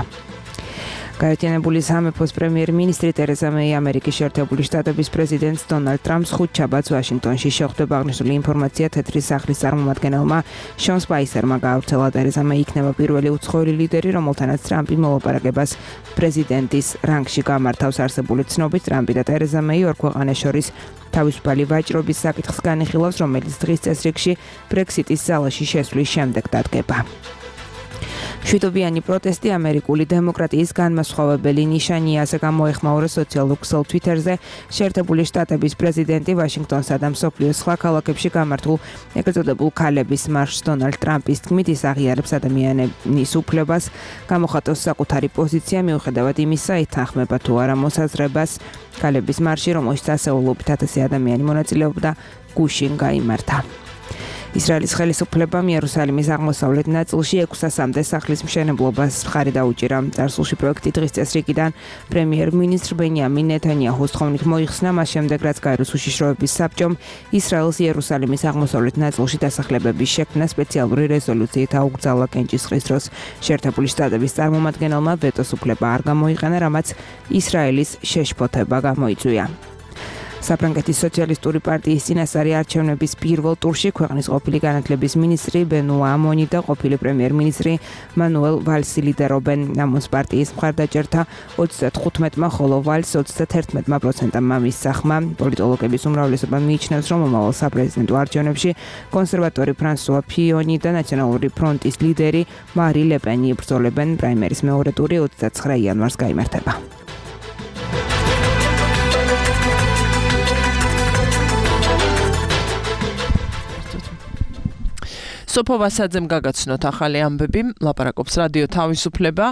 გაერთიანებული სამეფოს პრემიერ-მინისტრი ტერეზა მეი ამერიკის შეერთებული შტატების პრეზიდენტს დონალდ ტრამპს ხუთშაბათს ვაშინგტონში შეხვდება. აღნიშნული ინფორმაცია თეთრი სახლის წარმომადგენელმა შონ სპაისერმა გაავრცელა. ტერეზა მეი იქნება პირველი უცხოელი ლიდერი, რომელთანაც ტრამპი მოლაპარაკებას პრეზიდენტის რანგში გამართავს. არსებული ცნობით, ტრამპი და ტერეზა მეი ორ ქვეყანას შორის თავისუფალი ვაჭრობის საკითხს განიხილავს, რომელიც დღის წესრიგში ბრექსიტის ზალაში შესვლის შემდეგ დადგება. შვიდობიანი პროტესტი ამერიკული დემოკრატიის განმასხვავებელი ნიშანია, ასე გამოეხმაურა სოციალურ ქსელ Twitter-ზე შეერთებული შტატების პრეზიდენტი ვაშინგტონსა და მსოფლიოს სხვა ქალაქებში გამართულ ეგრეთ წოდებულ ქალების მარშს. დონალდ ტრამპის თქმით, ის აღიარებს ადამიანის უფლებას გამოხატოს საკუთარი პოზიცია, მიუხედავად იმისა, ეთანხმება თუ არა მოსაზრებას. ქალების მარში, რომელშიც ასეულობით 1000 ადამიანი მონაწილეობდა, გუშინ გაიმართა. ისრაელის ხელისუფლებამ იერუსალიმის აღმოსავლეთ ნაწილში 600-მდე სახლის მშენებლობას მხარი დაუჭირა. წარსულში პროექტი დღის წესრიგიდან პრემიერ-მინისტრ ბენიამინ ნეთანიაჰუს თხოვნით მოიხსნა, მას შემდეგ რაც გაეროს უშიშროების საბჭომ ისრაელს იერუსალიმის აღმოსავლეთ ნაწილში დასახლებების შექმნა სპეციალური რეზოლუციით აუკრძალა. კენჭისყრის დროს შეერთებული შტატების წარმომადგენელმა ვეტოს უფლება არ გამოიყენა, რამაც ისრაელის შეშფოთება გამოიწვია. საფრანგეთის სოციალისტური პარტიის წინასწარი არჩევნების პირველ ტურში ქვეყნის ყოფილი განათლების მინისტრი ბენუა ამონი და ყოფილი პრემიერ-მინისტრი მანუელ ვალსი ლიდერობენ. ამონს პარტიის მხარდაჭერთა 35-მა, ხოლო ვალს 31%-მა მისახმა. პოლიტოლოგების უმრავლესობა მიიჩნევს, რომ მომავალ საპრეზიდენტო არჩევნებში კონსერვატორი ფრანსუა ფიონი და ნაციონალური ფრონტის ლიდერი მარი ლეპენი იბრძოლებენ. პრაიმერის მეორე ტური 29 იანვარს გაიმართება. სოფო ვასაძემ გაგაცნოთ ახალი ამბები, ლაპარაკობს რადიო თავისუფლება.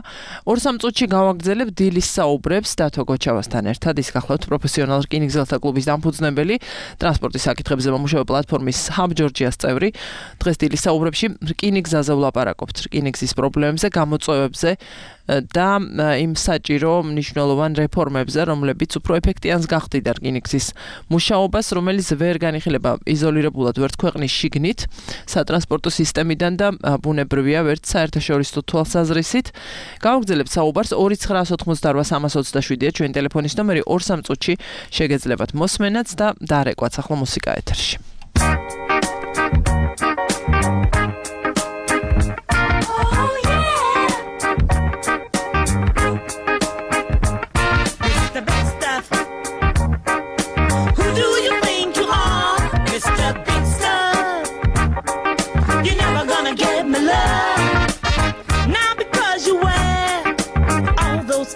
2-3 წუთში გავაგრძელებ დილის საუბრებს დათო გოჩავასთან ერთად. ის გახლავთ პროფესიონალ რკინიგზელთა კლუბის დამფუძნებელი, ტრანსპორტის საკითხებზე მომუშავე პლატფორმის Hub Georgia-ს წევრი. დღეს დილის საუბრებში რკინიგზაზე ვლაპარაკობთ, რკინიგზის პრობლემებზე, გამოწვევებზე და იმ საჭირო მნიშვნელოვან რეფორმებზე, რომლებიც უფრო ეფექტიანს გახდიდა რკინიგზის მუშაობას, რომელიც ვერ განიხილება იზოლირებულად ვერც ქვეყნის შიგნით, სატრანსპორტო სისტემიდან და ბუნებრივია ვერც საერთაშორისო თვალსაზრისით. გავაგრძელებთ საუბარს 2988327-ია ჩვენი ტელეფონის ნომერი 2-3 წუთში შეგეძლებათ მოსმენაც და დარეკვაც ახლა მუსიკა ეთერში.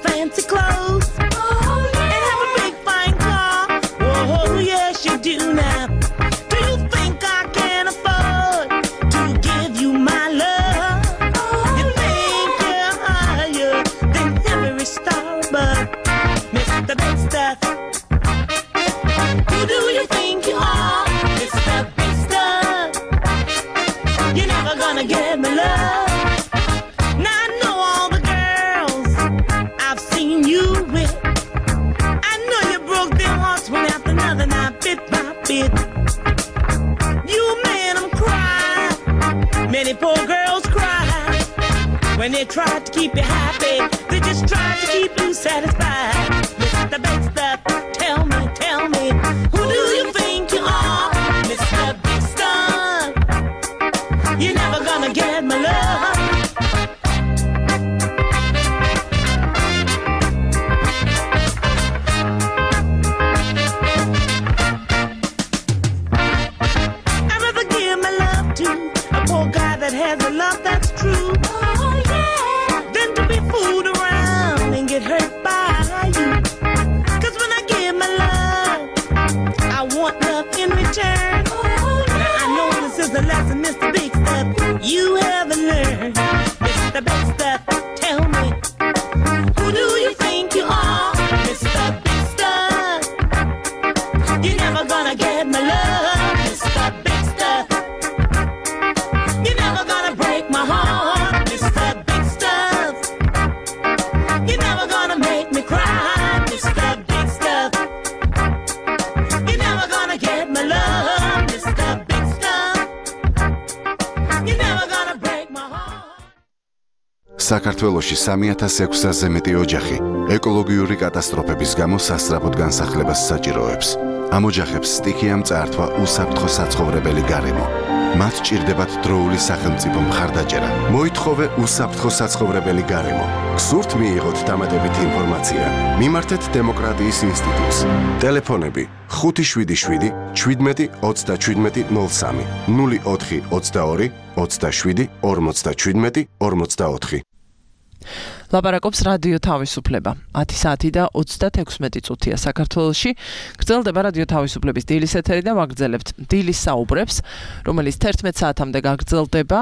Fancy clothes and have a big fine car. Oh yes, you do now. Do you think I can afford to give you my love? You think you're higher than every star, but Mr. Big Stuff, who do you think you are, Mr. Big Stuff? You're never gonna get my love. Now I know all the girls I've seen you with. keep you happy. They just try to keep you satisfied. Mr. Big Stuff, tell me, who do you think you are? Mr. Big Stuff, you're never gonna get my love. I'd rather give my love to a poor guy that has a love that's true. Oh yeah. Than to be fooled around and get hurt by you. 'Cause when I give my love, I want love in return. Now I know this is the lesson, Mr. Big Stuff, you haven't learned. Mr. Big Stuff, tell me, who do you think you are? Mr. Big Stuff, you're never gonna get my love. Mr. Big Stuff, you're never gonna break my heart. Mr. Big Stuff, you're never gonna make me cry. Mr. Big Stuff, you're never gonna get my love. Mr. Big Stuff, you're never gonna break my heart. საქართველოში 3600-ზე მეტი ოჯახი ეკოლოგიური კატასტროფების გამო სასწრაფოდ განსახლებას საჭიროებს. ამ ოჯახებს სტიქია მწართვა უსაფრთხო საცხოვრებელი გარემო. მათ ჭირდებათ დროული სახელმწიფო მხარდაჭერა. მოითხოვე უსაფრთხო საცხოვრებელი გარემო. გსურთ მიიღოთ დამატებითი ინფორმაცია? მიმართეთ დემოკრატიის ინსტიტუტს. ტელეფონები 577 17 37 03 04 22 27 57 44. ლაპარაკობს რადიო თავისუფლება. 10 საათი და 36 წუთია საქართველოში. გრძელდება რადიო თავისუფლების დილის ეთერი და ვაგრძელებთ დილის საუბრებს, რომელიც 11 საათამდე გაგრძელდება.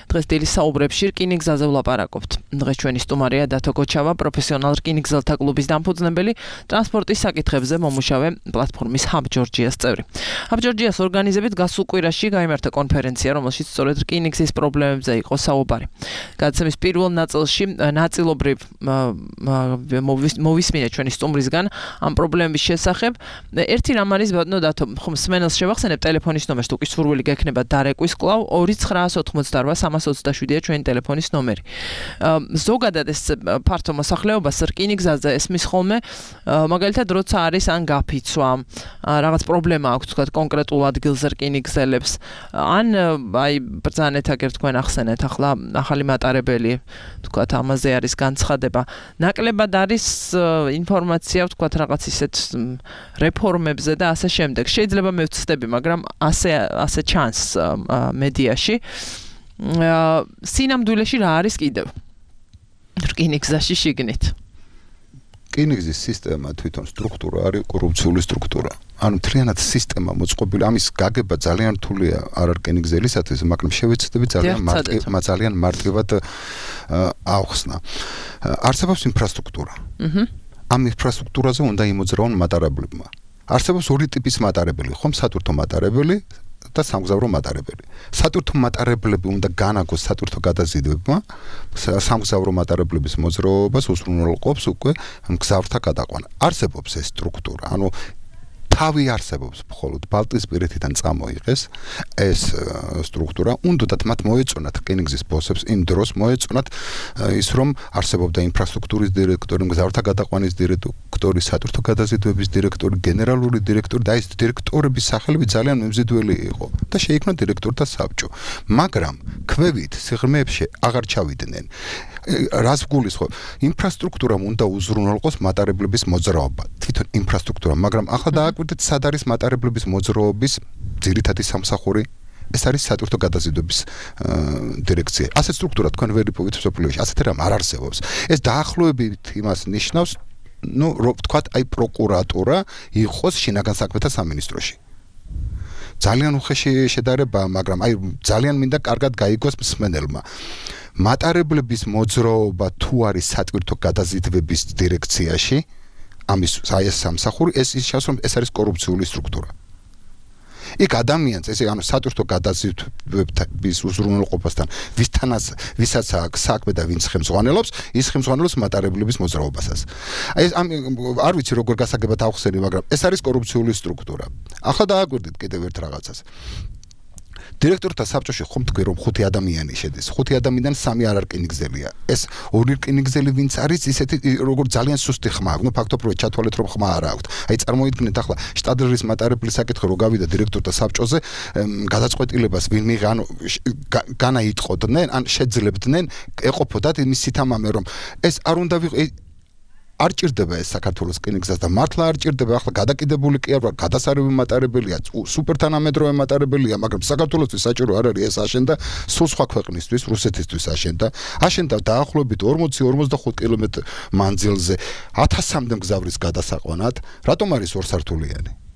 დღეს დილის საუბრებში რკინიგზაზე ვლაპარაკობთ. დღეს ჩვენი სტუმარია დათო გოჩავა, პროფესიონალ რკინიგზელთა კლუბის დამფუძნებელი, ტრანსპორტის საკითხებზე მომუშავე პლატფორმის Hub Georgia-ს წევრი. Hub Georgia-ს ორგანიზებით გასულ კვირაში გაიმართა კონფერენცია, რომელშიც სწორედ რკინიგზის პრობლემებზე იყო საუბარი. გადაცემის პირველ ნაწილში ნაწილობრივ მოვისმინეთ ჩვენი სტუმრისგან ამ პრობლემების შესახებ. ერთი რამ არის ბატონო დათო, ხომ სმენელს შევახსენებ ტელეფონის ნომერს, თუ კი სურვილი გექნება დარეკვის კვლავ 2988-327-ია ჩვენი ტელეფონის ნომერი. ზოგადად ეს ფართო მოსახლეობას რკინიგზაზე ესმის ხოლმე, მაგალითად როცა არის ან გაფიცვა, რაღაც პრობლემა აქვს თქვა კონკრეტულ ადგილზე რკინიგზელებს, ან აი ბრძანეთ აგერ თქვენ ახსენეთ ახლა ახალი მატარებელი თქვა ამაზე არის განცხადება. ნაკლებად არის ინფორმაცია თქვა რაღაც ისეთ რეფორმებზე და ასე შემდეგ. შეიძლება მე ვცდები, მაგრამ ასე ჩანს მედიაში. სინამდვილეში რა არის კიდევ? რკინიგზაში შიგნით. რკინიგზის სისტემა თვითონ სტრუქტურა არის კორუფციული სტრუქტურა. ანუ მთლიანად სისტემა მოწყობილი, ამის გაგება ძალიან რთულია არ რკინიგზელისათვის, მაგრამ შევეცდები ძალიან მარტივად ავხსნა. არსებობს ინფრასტრუქტურა. ამ ინფრასტრუქტურაზე უნდა იმოძრავონ მატარებლებმა. არსებობს ორი ტიპის მატარებელი, ხომ სატვირთო მატარებელი და სამგზავრო მატარებელი. სატვირთო მატარებლები უნდა განაგოს სატვირთო გადაზიდვებმა, სამგზავრო მატარებლების მოძრაობას უზრუნველყოფს უკვე მგზავრთა გადაყვანა. არსებობს ეს სტრუქტურა, ანუ თავი არსებობს, მხოლოდ ბალტიისპირეთიდან წამოიღეს ეს სტრუქტურა, უნდათ მათ მოეწონათ რკინიგზის ბოსებს იმ დროს მოეწონათ ის რომ არსებობდა ინფრასტრუქტურის დირექტორი, მგზავრთა გადაყვანის დირექტორი, სატვირთო გადაზიდვების დირექტორი, გენერალური დირექტორი და ეს დირექტორების სახელები ძალიან მემზიდველი იყო და შეიქმნა დირექტორთა საბჭო. მაგრამ ქვევით სიღრმეებში აღარ ჩავიდნენ. რას გულისხმობ? ინფრასტრუქტურამ უნდა უზრუნველყოს მატარებლების მოძრაობა. თვითონ ინფრასტრუქტურა, მაგრამ ახლა დააკვირდეთ სად არის მატარებლების მოძრაობის ძირითადი სამსახური? ეს არის სატვირთო გადაზიდვების დირექცია. ასეთ სტრუქტურა თქვენ ვერ იპოვეთ სოფლიოში, ასეთი რამ არ არსებობს. ეს დაახლოებით იმას ნიშნავს, ну, ვთქვათ, აი პროკურატურა იყოს შინაგან საქმეთა სამინისტროში. ძალიან უხეში შედარება, მაგრამ აი ძალიან მინდა კარგად გაიგოს მსმენელმა. მატარებლების მოძრაობა თუ არის სატვირთო გადაზიდვების დირექციაში, ამის აი ეს სამსახური, ეს ისჩავს რომ ეს არის კორუფციული სტრუქტურა. იქ ადამიანს, ესე ანუ სატვირთო გადაზიდვების უზრუნველყოფასთან ვისაც აქვს საქმე და ვინც ხელმძღვანელობს, ის ხელმძღვანელობს მატარებლების მოძრაობასაც. აი ეს არ ვიცი როგორ გასაგებად ავხსენი, მაგრამ ეს არის კორუფციული სტრუქტურა. ახლა დააკვირდით კიდევ ერთ რაღაცას. დირექტორთა საბჭოში ხომ თქვი რომ 5 ადამიანი შედის 5 ადამიანიდან 3 არ რკინიგზელია ეს 2 რკინიგზელი ვინც არის ისეთი როგორ ძალიან სუსტი ხმა აქვს ფაქტობრივად ჩათვალეთ რომ ხმა არ აქვს აი წარმოიდგინეთ ახლა შტადლერის მატარებლის საკითხი რო გავიდა დირექტორთა საბჭოზე გადაწყვეტილებას ვინმე განაიტყოდნენ ან შეძლებდნენ ეყოფოდათ იმის სითამამე რომ ეს არ უნდა არ ჭირდება ეს საქართველოს რკინიგზას და მართლა არ ჭირდება ახლა გადაკიდებული კი არა გადასარევი მატარებელია სუპერთანამედროვე მატარებელია მაგრამ საქართველოსთვის საჭირო არ არის ეს აშენდა სულ სხვა ქვეყნისთვის რუსეთისთვის აშენდა დაახლოებით 40-45 კილომეტრ მანძილზე 1000-მდე მგზავრის გადასაყვანად რატომ არის ორსართულიანი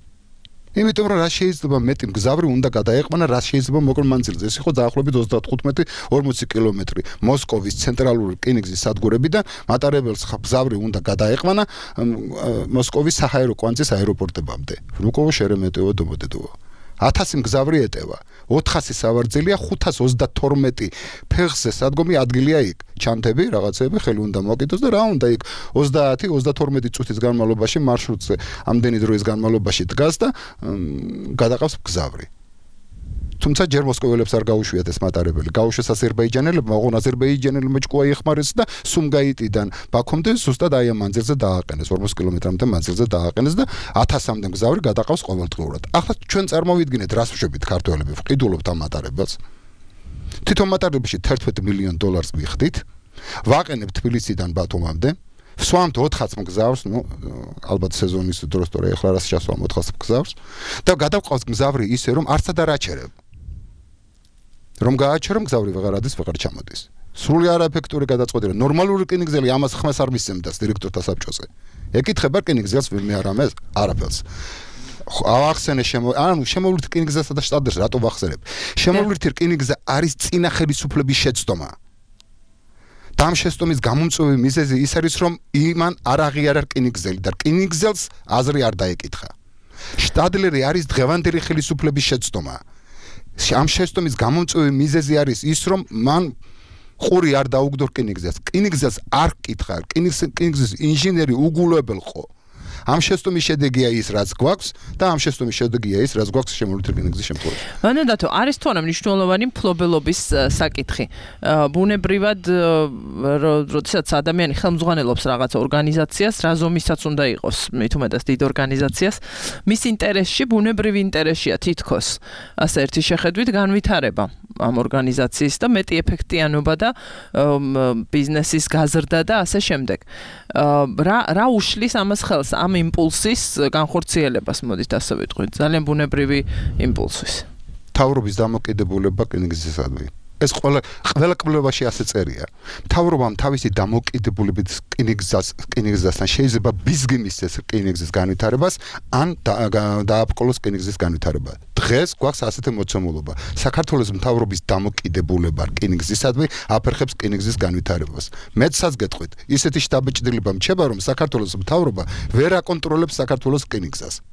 იმიტომ რომ რა შეიძლება მეტი მგზავრი უნდა გადაეყვანა რა შეიძლება მოკლ მანძილზე ეს იყო დაახლოებით 35-40 კილომეტრი მოსკოვის ცენტრალური რკინიგზის სადგურებიდან მატარებელს მგზავრი უნდა გადაეყვანა მოსკოვის საჰაერო კვანძის აეროპორტებამდე ვნუკოვო შერემეტეო დომოდედოво 1000 მგზავრი ეტევა 400 სავარძელია 532 ფეხზე სადგომი ადგილია იქ ჩანთები რაღაცები ხელი უნდა მოკიდოს და რა უნდა იქ 30-32 წუთის განმავლობაში მარშრუტზე ამდენი დროის განმავლობაში დგას და გადაყავს მგზავრი თუმცა ჯერ მოსკოველებს არ გაუშვიათ ეს მატარებელი გაუშვეს აზერბაიჯანელებმა ოღონ აზერბაიჯანელებმა ჭკუა იხმარეს და სუმგაიტიდან ბაქომდე ზუსტად აი ამ მანძილზე დააყენეს 40 კილომეტრამდე მანძილზე დააყენეს და 1000-მდე მგზავრი გადაყავს ყოველდღურად ახლა ჩვენ წარმოვიდგინეთ რას ვშვებით ქართველები ვყიდულობთ ამ მატარებელს თვითონ მატარებელში 11 მილიონ დოლარს მიხდით ვაყენებთ თბილისიდან ბათუმამდე ვსვამთ 400 მგზავრს, ალბათ სეზონის დროს თორე ახლა რას ჩასვამ 400 მგზავრს და გადავყავს მგზავრი ისე რომ არცად არ აჩერებ. რომ გააჩერო მგზავრი ვეღარ ადის, ვეღარ ჩამოდის. სრული არაეფექტური გადაწყვეტილება. ნორმალური რკინიგზელი ამას ხმას არ მისცემდა დირექტორთა საბჭოზე. ეკითხება რკინიგზელს ვინმე არ ამეს არაფერს. ავახსენე შემოვლით რკინიგზასა და შტადლერს რატო ვახსენებ? შემოვლით რკინიგზა არის წინა ხელისუფლების შეცდომა. და ამ შეცდომის გამომწვევი მიზეზი ის არის რომ იმან არ აღიარა რკინიგზელი და რკინიგზელს აზრი არ დაეკითხა. შტადლერი არის დღევანდელი ხელისუფლების შეცდომა. ამ შეცდომის გამომწვევი მიზეზი არის ის რომ მან ყური არ დაუგდო რკინიგზას. რკინიგზას არ კითხა, რკინიგზის ინჟინერი უგულებელყო. ამ შეცდომის შედეგია ის რაც გვაქვს და ამ შეცდომის შედეგია ის რაც გვაქვს შემოვლით რკინიგზის შემთხვევაში. მანდათო არის თუ არა მნიშვნელოვანი მფლობელობის საკითხი. ბუნებრივად როდესაც ადამიანი ხელმძღვანელობს რაღაც ორგანიზაციას, რა ზომისაც უნდა იყოს, მით უმეტეს დიდ ორგანიზაციას, მის ინტერესში, ბუნებრივ ინტერესშია თითქოს ასე ერთი შეხედვით განვითარება ამ ორგანიზაციის და მეტი ეფექტიანობა და ბიზნესის გაზრდა და ასე შემდეგ. რა უშლის ამას ხელს ამ იმპულსის განხორციელებას მოდით ასე ვიტყვით ძალიან ბუნებრივი იმპულსის მთავრობის დამოკიდებულება რკინიგზისადმი ეს ყველა კვლევაში ასე წერია მთავრობამ თავისი დამოკიდებულებით რკინიგზასთან შეიძლება ბიზგი მისცეს რკინიგზის განვითარებას ან დააბყოლოს რკინიგზის განვითარება დღეს გვაქვს ასეთი მოცემულობა საქართველოს მთავრობის დამოკიდებულება რკინიგზისადმი აფერხებს რკინიგზის განვითარებას მეცაც გეტყვით ისეთი შთაბეჭდილება მჩება რომ საქართველოს მთავრობა ვერ აკონტროლებს საქართველოს რკინიგზას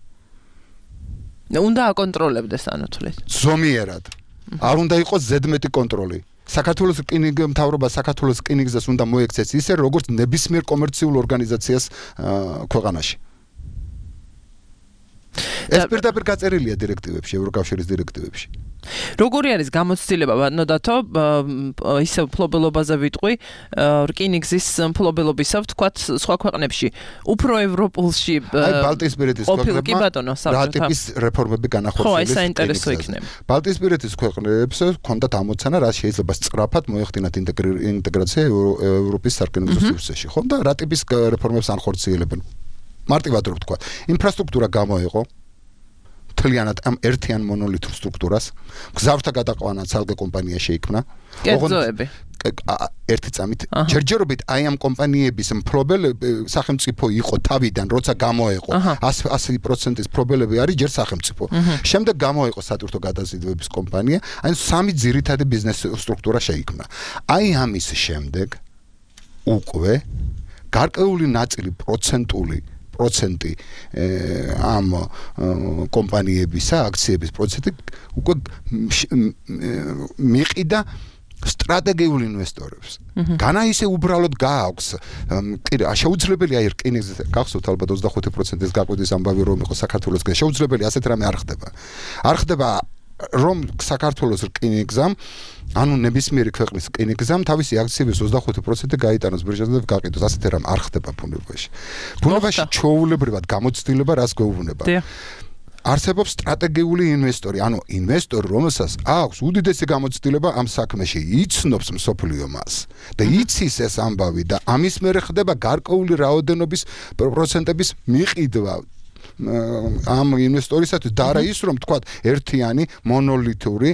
უნდა აკონტროლებდეს ანუ თვლით ზომიერად არ უნდა იყოს ზედმეტი კონტროლი. საქართველოს მთავრობა საქართველოს რკინიგზას უნდა მოექცეს ისე, როგორც ნებისმიერ კომერციულ ორგანიზაციას ქვეყანაში. ეს პირდაპირ გაწერილია დირექტივებში, ევროკავშირის დირექტივებში. როგორი არის გამოცდილება ბატონო ისე მფლობელობაზე ვიტყვი რკინიგზის მფლობელობისა ვთქვათ სხვა ქვეყნებში უფრო ევროპულში აი ბალტიისპირეთის ქვეყნებმა რა ტიპის რეფორმები განახორციელეს ხო ეს საინტერესო იქნება ბალტიისპირეთის ქვეყნებს ჰქონდათ ამოცანა რა შეიძლება სწრაფად მოეხდინათ ინტეგრაცია ევროპის სარკინიგზო სივრცეში ხო და რა ტიპის რეფორმებს ანხორციელებენ მარტივად რო ვთქვათ ინფრასტრუქტურა გამოიყო თლიანად ამ ერთიან მონოლითურ სტრუქტურას გზავრთა გადაყვანა ცალკე კომპანია შეიქმნა კერძოები ერთი წამით ჯერჯერობით აი ამ კომპანიების მფლობელები სახელმწიფო იყო თავიდან როცა გამოეყო 100% მფლობელები არის ჯერ სახელმწიფო შემდეგ გამოეყო სატვირთო გადაზიდვების კომპანია აი სამი ძირითადი ბიზნეს სტრუქტურა შეიქმნა აი ამის შემდეგ უკვე გარკვეული ნაწილი პროცენტი ამ კომპანიებისა აქციების პროცენტი უკვე მიყიდა სტრატეგიულ ინვესტორებს. განა ისე უბრალოდ გააქვს შეუძლებელია რკინიგზის გახსოვთ ალბათ 25%-ის გაკვეთის ამბავი რომ იყო საქართველოს შეუძლებელი ასეთ რამე არ ხდება. არ ხდება რომ საქართველოს რკინიგზამ ანუ ნებისმიერი ქვეყნის რკინიგზამ თავისი აქციების 25% გაიტანოს ბირჟაზე და გაყიდოს. ასეთი რამ არ ხდება ბუნებაში. ბუნებაში ჩვეულებრივად გამოცდილება რას გვეუბნება? არსებობს სტრატეგიული ინვესტორი, ანუ ინვესტორი, რომელსაც აქვს უდიდესი გამოცდილება ამ საქმეში, იცნობს მსოფლიო მას და იცის ეს ამბავი და ამის მერე ხდება გარკვეული რაოდენობის პროცენტების მიყიდვა ამ ინვესტორისათვის და არა ის რომ თქვა ერთიანი მონოლითური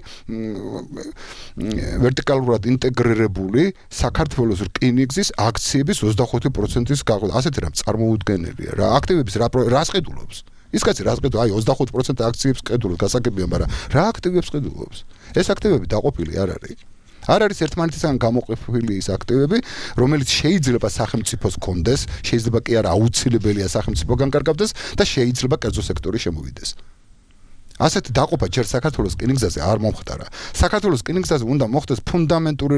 ვერტიკალურად ინტეგრირებული საქართველოს რკინიგზის აქციების 25%-ის გაყიდვა. ასეთი რამ წარმოუდგენელია რა აქტივების რას ყიდულობს? ის კაცი რას ყიდულობს? აი 25% აქციებს ყიდულობს, გასაგებია, მაგრამ რა აქტივებს ყიდულობს? ეს აქტივები დაყოფილი არ არის. არ არის ერთმანეთისგან გამოყოფილი ის აქტივები, რომელიც შეიძლება სახელმწიფოს კონდეს, შეიძლება კი არა აუცილებელია სახელმწიფოგან კარგავდეს და შეიძლება კერძო სექტორი შემოვიდეს. ასეთი დაყოფა ჯერ საქართველოს რკინიგზაზე არ მომხდარა. საქართველოს რკინიგზაზე უნდა მოხდეს ფუნდამენტური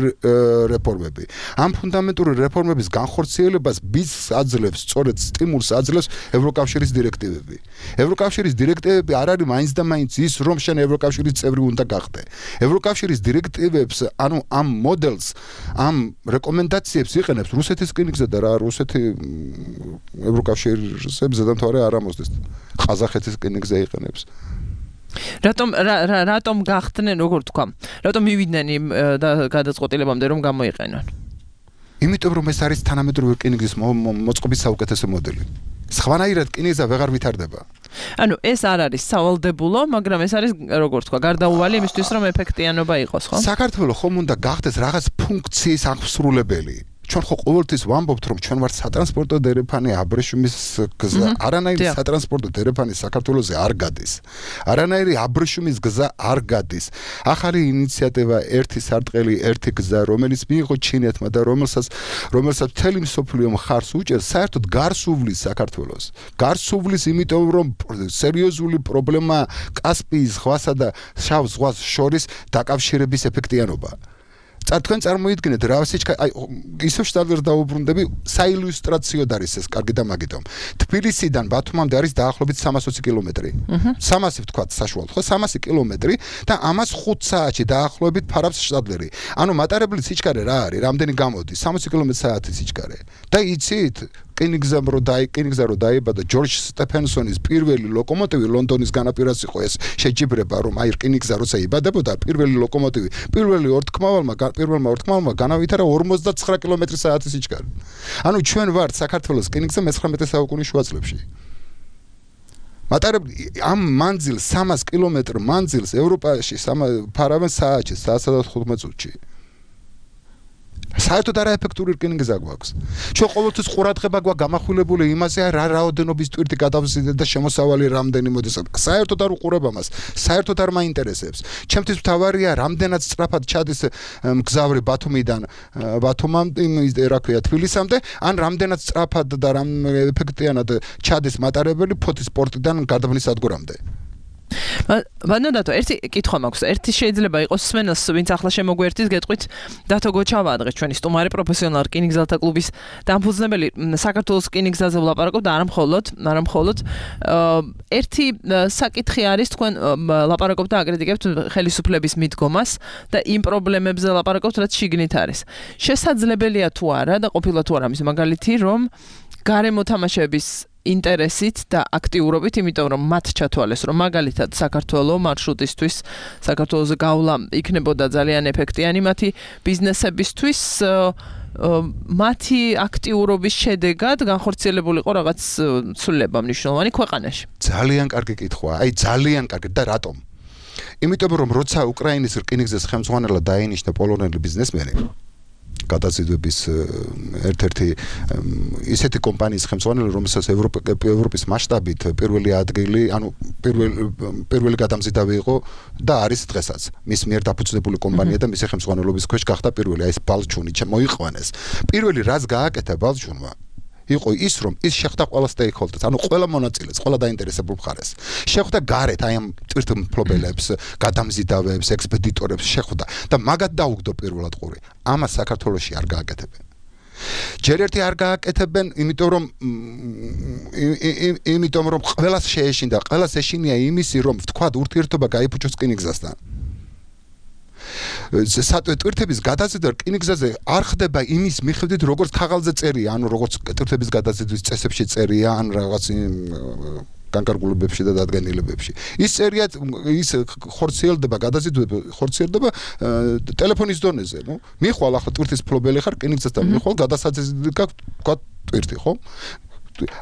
რეფორმები. ამ ფუნდამენტური რეფორმების განხორციელებას ბიზნესს აძლევს, სწორედ სტიმულს აძლევს ევროკავშირის დირექტივები. ევროკავშირის დირექტივები არ არის მაინც და მაინც ის, რომ შენ ევროკავშირის წევრი უნდა გახდე. ევროკავშირის დირექტივებს, ანუ ამ მოდელს, ამ რეკომენდაციებს იყენებს რუსეთის რკინიგზა და რა რუსეთი ევროკავშირის ზედამთავარი არ ამოსდეს. ყაზახეთის რკინიგზა იყენებს. რატომ გახდნენ, როგორ თქვა? რატომ მივიდნენ იმ გადაწყვეტილებამდე რომ გამოიყენონ? იმიტომ რომ ეს არის თანამედროვე რკინიგზის მოწყობის საუკეთესო მოდელი. სხვანაირად რკინიგზა ვეღარ ვითარდება. ანუ ეს არ არის სავალდებულო, მაგრამ ეს არის როგორ თქვა, გარდაუვალი იმისთვის რომ ეფექტიანობა იყოს, ხო? საქართველოს ხომ უნდა გახდეს რაღაც ფუნქციის აღსრულებელი. ჩვენ ხო ყოველთვის ვამბობთ რომ ჩვენ ვართ სატრანსპორტო დერეფანი აბრეშუმის გზა. არანაირი სატრანსპორტო დერეფანი საქართველოზე არ გადის. არანაირი აბრეშუმის გზა არ გადის. ახალი ინიციატივა ერთი სარტყელი, ერთი გზა, რომელიც მიიღო ჩინეთმა და რომელსაც მთელი მსოფლიო მხარს უჭერს, საერთოდ გარს უვლის საქართველოს. გარს უვლის იმიტომ რომ სერიოზული პრობლემა კასპიის ზღვასა და შავ ზღვას შორის დაკავშირების ეფექტიანობა. თქვენ წარმოიდგინეთ რა აი ისევ შტაბერ დაუბრუნდები საილუსტრაციოდ არის ეს კარგი და მაგიტომ თბილისიდან ბათუმამდე არის დაახლოებით 320 კილომეტრი 300 ვთქვათ საშუალოდ ხო 300 კილომეტრი და ამას 5 საათში დაახლოებით ფარავს შტაბლერი ანუ მატარებლის სიჩქარე რა არის რამდენი გამოდის 60 კმ/სთ სიჩქარე და იცით რკინიგზა რო დაიბადა ჯორჯ სტეფენსონის პირველი ლოკომოტივი ლონდონის განაპირას იყო ეს შეჯიბრება რომ აი რკინიგზა როცა იბადებოდა პირველი ლოკომოტივი პირველმა ორთქმავმა განავითარა 59 კმ/სთ სიჩქარე. ანუ ჩვენ ვართ საქართველოს რკინიგზა მე-19 საუკუნის შუა წლებში. მატარებლი ამ მანძილს 300 კილომეტრ მანძილს ევროპაში ფარავენ საათში 115 წუთში. საერთოდ არაეფექტური რკინიგზა გვაქვს. ჩვენ ყოველთვის ყურადღება გვაქვს გამახვილებული იმაზე, რა რაოდენობის ტვირთი გადავზიდეთ და შემოსავალი რამდენი მოდის. საერთოდ არ უყურებ ამას. საერთოდ არ მაინტერესებს. ჩემთვის მთავარია რამდენად სწრაფად ჩადის მგზავრი ბათუმიდან ბათუმამდე, რა ქვია, თბილისამდე, ან რამდენად სწრაფად და რამ ეფექტიანად ჩადის მატარებელი ფოთის პორტიდან გარდაბნის სადგურამდე. ბანოდატო, ერთი კითხვა მაქვს. ერთი შეიძლება იყოს სმენელს, ვინც ახლა შემოგვერთის გეტყვით დათო გოჩავა დღეს ჩვენი სტუმარი პროფესიონალი რკინიგზელთა კლუბის დამფუძნებელი საქართველოს რკინიგზაზე ვლაპარაკობ და არა მხოლოდ ერთი საკითხი არის თქვენ ლაპარაკობთ და აკრიტიკებთ ხელისუფლების მიდგომას და იმ პრობლემებზე ლაპარაკობთ რაც შიგნით არის. შესაძლებელია თუ არა და ყოფილა თუ არა მის მაგალითი რომ გარემო თამაშების ინტერესით და აქტიურობით, იმიტომ რომ მათ ჩათვალეს, რომ მაგალითად საქართველოს მარშრუტისთვის საქართველოს გავლა იქნებოდა ძალიან ეფექტიანი მათი ბიზნესებისთვის, მათი აქტიურობის შედეგად განხორციელებული იყო რაღაც ცვლილება მნიშვნელოვანი ქვეყანაში. ძალიან კარგი კითხვაა. აი ძალიან კარგი და რატომ? იმიტომ რომ როცა უკრაინის რკინიგზის ხელმძღვანელად დაინიშნა პოლონელი ბიზნესმენი გადაზიდვების ერთ-ერთი ისეთი კომპანიის ხელმძღვანელი, რომელსაც ევროპის მასშტაბით პირველი ადგილი, ანუ პირველი გადამზიდავი იყო და არის დღესაც. მის მიერ დაფუძნებული კომპანია და მისი ხელმძღვანელობის ქვეშ გახდა პირველი, აი ეს ბალჩუნი მოიყვანეს. პირველი რაც გააკეთა ბალჩუნმა იყო ის, რომ ის შეხვდა ყველა stakeholders, ანუ ყველა მონაწილეს, ყველა დაინტერესებულ მხარეს. შეხვდა გარეთ აი ამ ტვირთმფლობელებს, გადამზიდავებს, ექსპედიტორებს შეხვდა და მაგათ დაუგდო პირველად ყური. ამას საქართველოში არ გააკეთებენ. ჯერ ერთი არ გააკეთებენ, იმიტომ რომ ყველას შეეშინდა, ყველას ეშინია იმისი, რომ ვთქვათ, ურთიერთობა გაიფუჭოს რკინიგზასთან. ტვირთების გადაზიდვა რკინიგზაზე არ ხდება იმის მიხედვით, როგორც ქაღალდზე წერია, ანუ როგორც ტვირთების გადაზიდვის წესებში წერია, ან რაღაც განკარგულებებში და დადგენილებებში. ის წერია, ის ხორციელდება, გადაზიდვება ხორციელდება ტელეფონის დონეზე, ნუ. მიხვალ ახლა ტვირთის ფლობელი ხარ, რკინიგზასთან მიხვალ, გადასაძები გაქვს, თქვა ტვირთი, ხო?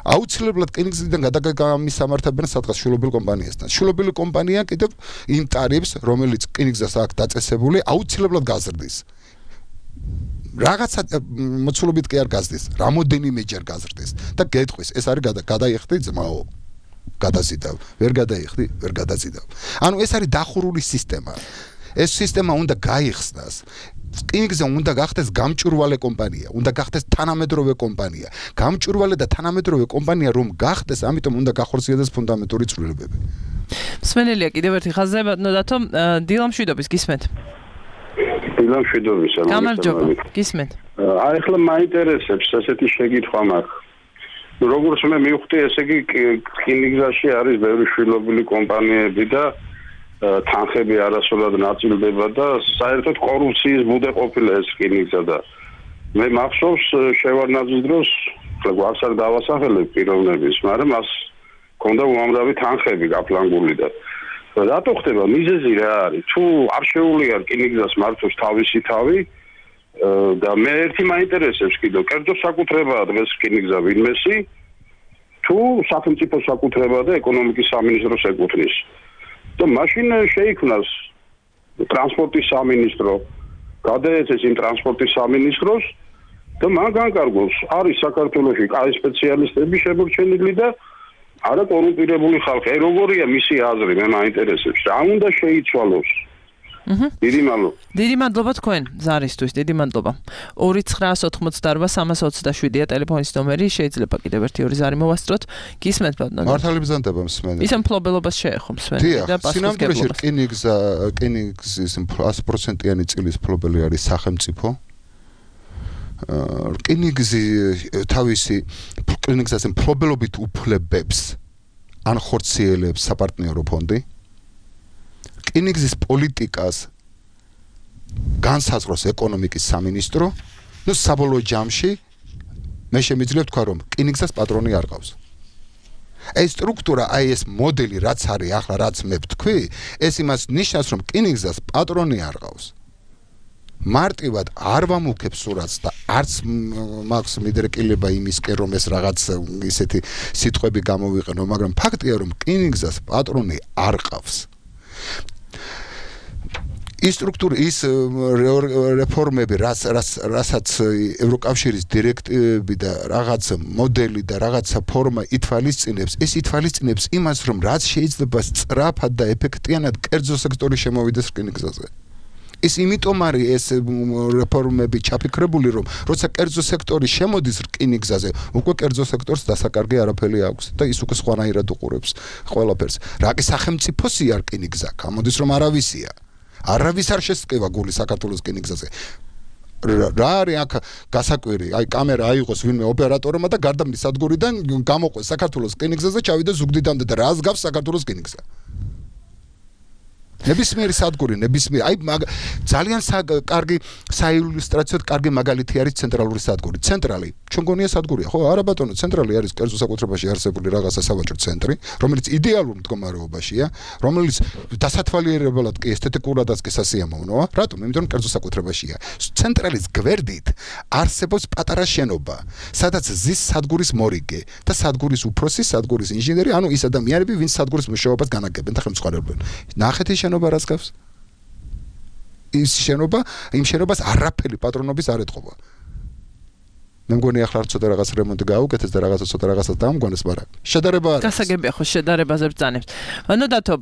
აუცილებლად რკინიგზიდან გადაგამისამართებენ სადღაც შვილობილ კომპანიასთან. შვილობილი კომპანია კიდევ იმ ტარიფს, რომელიც რკინიგზას აქვს დაწესებული, აუცილებლად გაზრდის. რაღაცა მოცულობით კი არ გაზრდის, რამოდენიმეჯერ გაზრდის და გეტყვის, ეს არის გადაიხდი ძმაო. გადაზიდავ, ვერ გადაიხდი, ვერ გადაზიდავ. ანუ ეს არის დახურული სისტემა. ეს სისტემა უნდა გაიხსნას. რკინიგზა უნდა გახდეს გამჭვირვალე კომპანია, უნდა გახდეს თანამედროვე კომპანია. გამჭვირვალე და თანამედროვე კომპანია რომ გახდეს, ამიტომ უნდა გახორციელდეს ფუნდამენტური ცვლილებები. მსმენელია კიდევ ერთი ხაზზე, ბატონო, დილა მშვიდობის გისმენთ. დილა მშვიდობის, გამარჯობა, გისმენთ. აი ახლა მაინტერესებს ესეთი შეკითხვა მაქვს. როგორც მე მივხვდი, ესე იგი რკინიგზაში არის ბევრი შვილობილი კომპანიები და თანხები არასრულად ნაწილდება და საერთოდ კორუფციის ბუდე ყოფილა ეს რკინიგზა და მე მახსოვს შევარდნაძის დროს გვარს არ დავასახელებ პიროვნების, მაგრამ მას ჰქონდა უამრავი თანხები გაფლანგული და რატო ხდება მიზეზი რა არის? თუ არ შეუძლია რკინიგზას მართოს თავისი თავი და მე ერთი მაინტერესებს კიდევ კერძო საკუთრებაა დღეს რკინიგზა ვინმესი თუ სახელმწიფო საკუთრებაა და ეკონომიკის სამინისტროს ეკუთვნის. და მაშინ შეიქმნას ტრანსპორტის სამინისტრო, გადაეცეს იმ ტრანსპორტის სამინისტროს და მან განკარგოს, არის საქართველოში კაი სპეციალისტები შემორჩენილი და არა კორუმპირებული ხალხი. როგორია მისი აზრი, მე მაინტერესებს. რა უნდა შეიცვალოს? დიდი მადლობა. დიდი მადლობა თქვენ ზარისთვის, დიდი მადლობა. 2988327-327-ია ტელეფონის ნომერი, შეიძლება კიდევ ერთი ორი ზარი მოვასწროთ. გისმენთ ბატონო. მართალი ბრძანდება მსმენელი. ისე მფლობელობას შეეხო მსმენელი და სინამდვილეში რკინიგზის 100%-იანი წილის მფლობელი არის სახელმწიფო. რკინიგზაზე მფლობელობით უფლებებს ან ხორციელებს საპარტნიორო ფონდი. რკინიგზის პოლიტიკას განსაზღვროს ეკონომიკის სამინისტრო, ნუ საბოლოო ჯამში მე შემიძლია ვთქვა, რომ რკინიგზას პატრონი არ ყავს. ეს სტრუქტურა, აი ეს მოდელი, რაც არის ახლა, რაც მე ვთქვი, ეს იმას ნიშნავს, რომ რკინიგზას პატრონი არ ყავს. მარტივად არ ვამუქებ სურათს და არც მაქვს მიდრეკილება იმისკენ, რომ ეს რაღაც ისეთი სიტყვები გამოვიყენო, მაგრამ ფაქტია, რომ რკინიგზას პატრონი არ ყავს. ის სტრუქტურა, ის რეფორმები, რასაც ევროკავშირის დირექტივები და რაღაც მოდელი და რაღაცა ფორმა ითვალისწინებს, ეს ითვალისწინებს იმას, რომ რაც შეიძლება სწრაფად და ეფექტიანად კერძო სექტორი შემოვიდეს რკინიგზაზე. ის იმიტომ არის ეს რეფორმები ჩაფიქრებული, რომ როცა კერძო სექტორი შემოდის რკინიგზაზე, უკვე კერძო სექტორს დასაკარგი არაფერი აქვს და ის უკვე სხვანაირად უყურებს ყველაფერს. რა კი სახელმწიფოსია რკინიგზა, გამოდის რომ არავისია. არავის არ შესწყვეტა გული საქართველოს რკინიგზაზე. რა არის აქ გასაკვირი? აი კამერა აიღოს ვინმე ოპერატორმა და გარდამტის სადგურიდან გამოყვეს საქართველოს რკინიგზაზე, ჩავიდა ზუგდიდამდე და რას გავს საქართველოს რკინიგზა? ნებისმიერი სადგური, აი ძალიან კარგი საილუსტრაციოდ კარგი მაგალითი არის ცენტრალური სადგური. ცენტრალი, ჩვენ გონია სადგურია, ხო? არა ბატონო, ცენტრალი არის კერძო საკუთრებაში არსებული რაღაცა სავაჭრო ცენტრი, რომელიც იდეალურ მდგომარეობაშია, რომელიც დასათვალიერებლად კი ესთეტიკურადაც კი სასიამოვნოა. რატომ? იმიტომ რომ კერძო საკუთრებაშია. ცენტრალის გვერდით არსებობს პატარა შენობა, სადაც ზის სადგურის მორიგე და სადგურის უფროსი, სადგურის ინჟინერი, ანუ ის ადამიანები, ვინც სადგურის მუშაობას განაგებენ და ხელმძღვანელობენ. ნახეთ შენობა რას გავს? ის შენობა, იმ შენობას არაფერი პატრონობის არ ეთყობა. მე მგონი ახლა ცოტა რაღაც რემონტი გაუკეთეს და რაღაცა ცოტა რაღაცას დაამგვანეს, მაგრამ შედარება არის. გასაგებია ხო შედარებაზე ბრძანებს. ანუ დათო,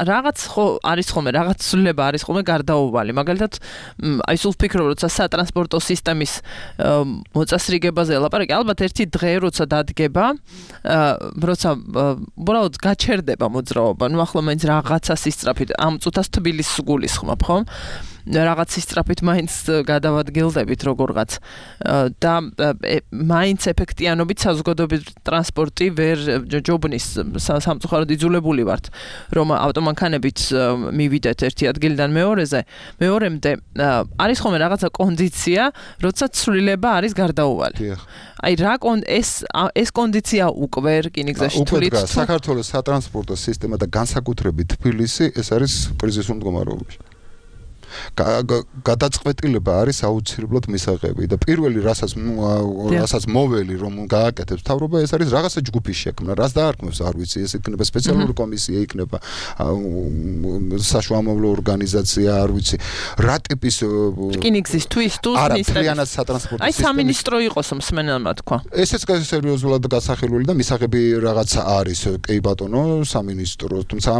რაღაც ხო არის ხოლმე, რაღაც ცვლილება არის ხოლმე გარდაუვალი. მაგალითად, აი სულ ვფიქრობ, როცა სატრანსპორტო სისტემის მოწესრიგებაზე ელაპარაკი, ალბათ ერთი დღე როცა დადგება, როცა უბრალოდ გაჩერდება მოძრაობა, ნუ ახლა მაინც რაღაცა სისწრაფით ამ წუთას თბილისს გულისხმობ, ხო? რაღაც სისწრაფით მაინც გადავადგილდებით როგორღაც და მაინც ეფექტიანობით საზოგადოებრივი ტრანსპორტი ვერ ჯობნის სამწუხაროდ იძულებული ვართ რომ ავტომანქანებით მივიდეთ ერთი ადგილიდან მეორემდე არის ხოლმე რაღაცა კონდიცია როცა ცვლილება არის გარდაუვალი აი რა ეს კონდიცია უკვე რკინიგზაში თulit საქართველოს სატრანსპორტო სისტემა და განსაკუთრებით თბილისი ეს არის კრიზისულ მდგომარეობაში გადაწყვეტილება არის აუცილებლად მისაღები და პირველი რასაც მოველი რომ გააკეთებს მთავრობა ეს არის რაღაცა ჯგუფის შექმნა რას დაარქმევს არ ვიცი ეს იქნება სპეციალური კომისია იქნება საშუალო ორგანიზაცია არ ვიცი რა ტიპის რკინიგზისთვის თუ მთლიანად სატრანსპორტო აი სამინისტრო იყოს მსმენელმა თქვა ესეც სერიოზულად გასახელული და მისაღები რაღაცა არის კი ბატონო სამინისტრო თუმცა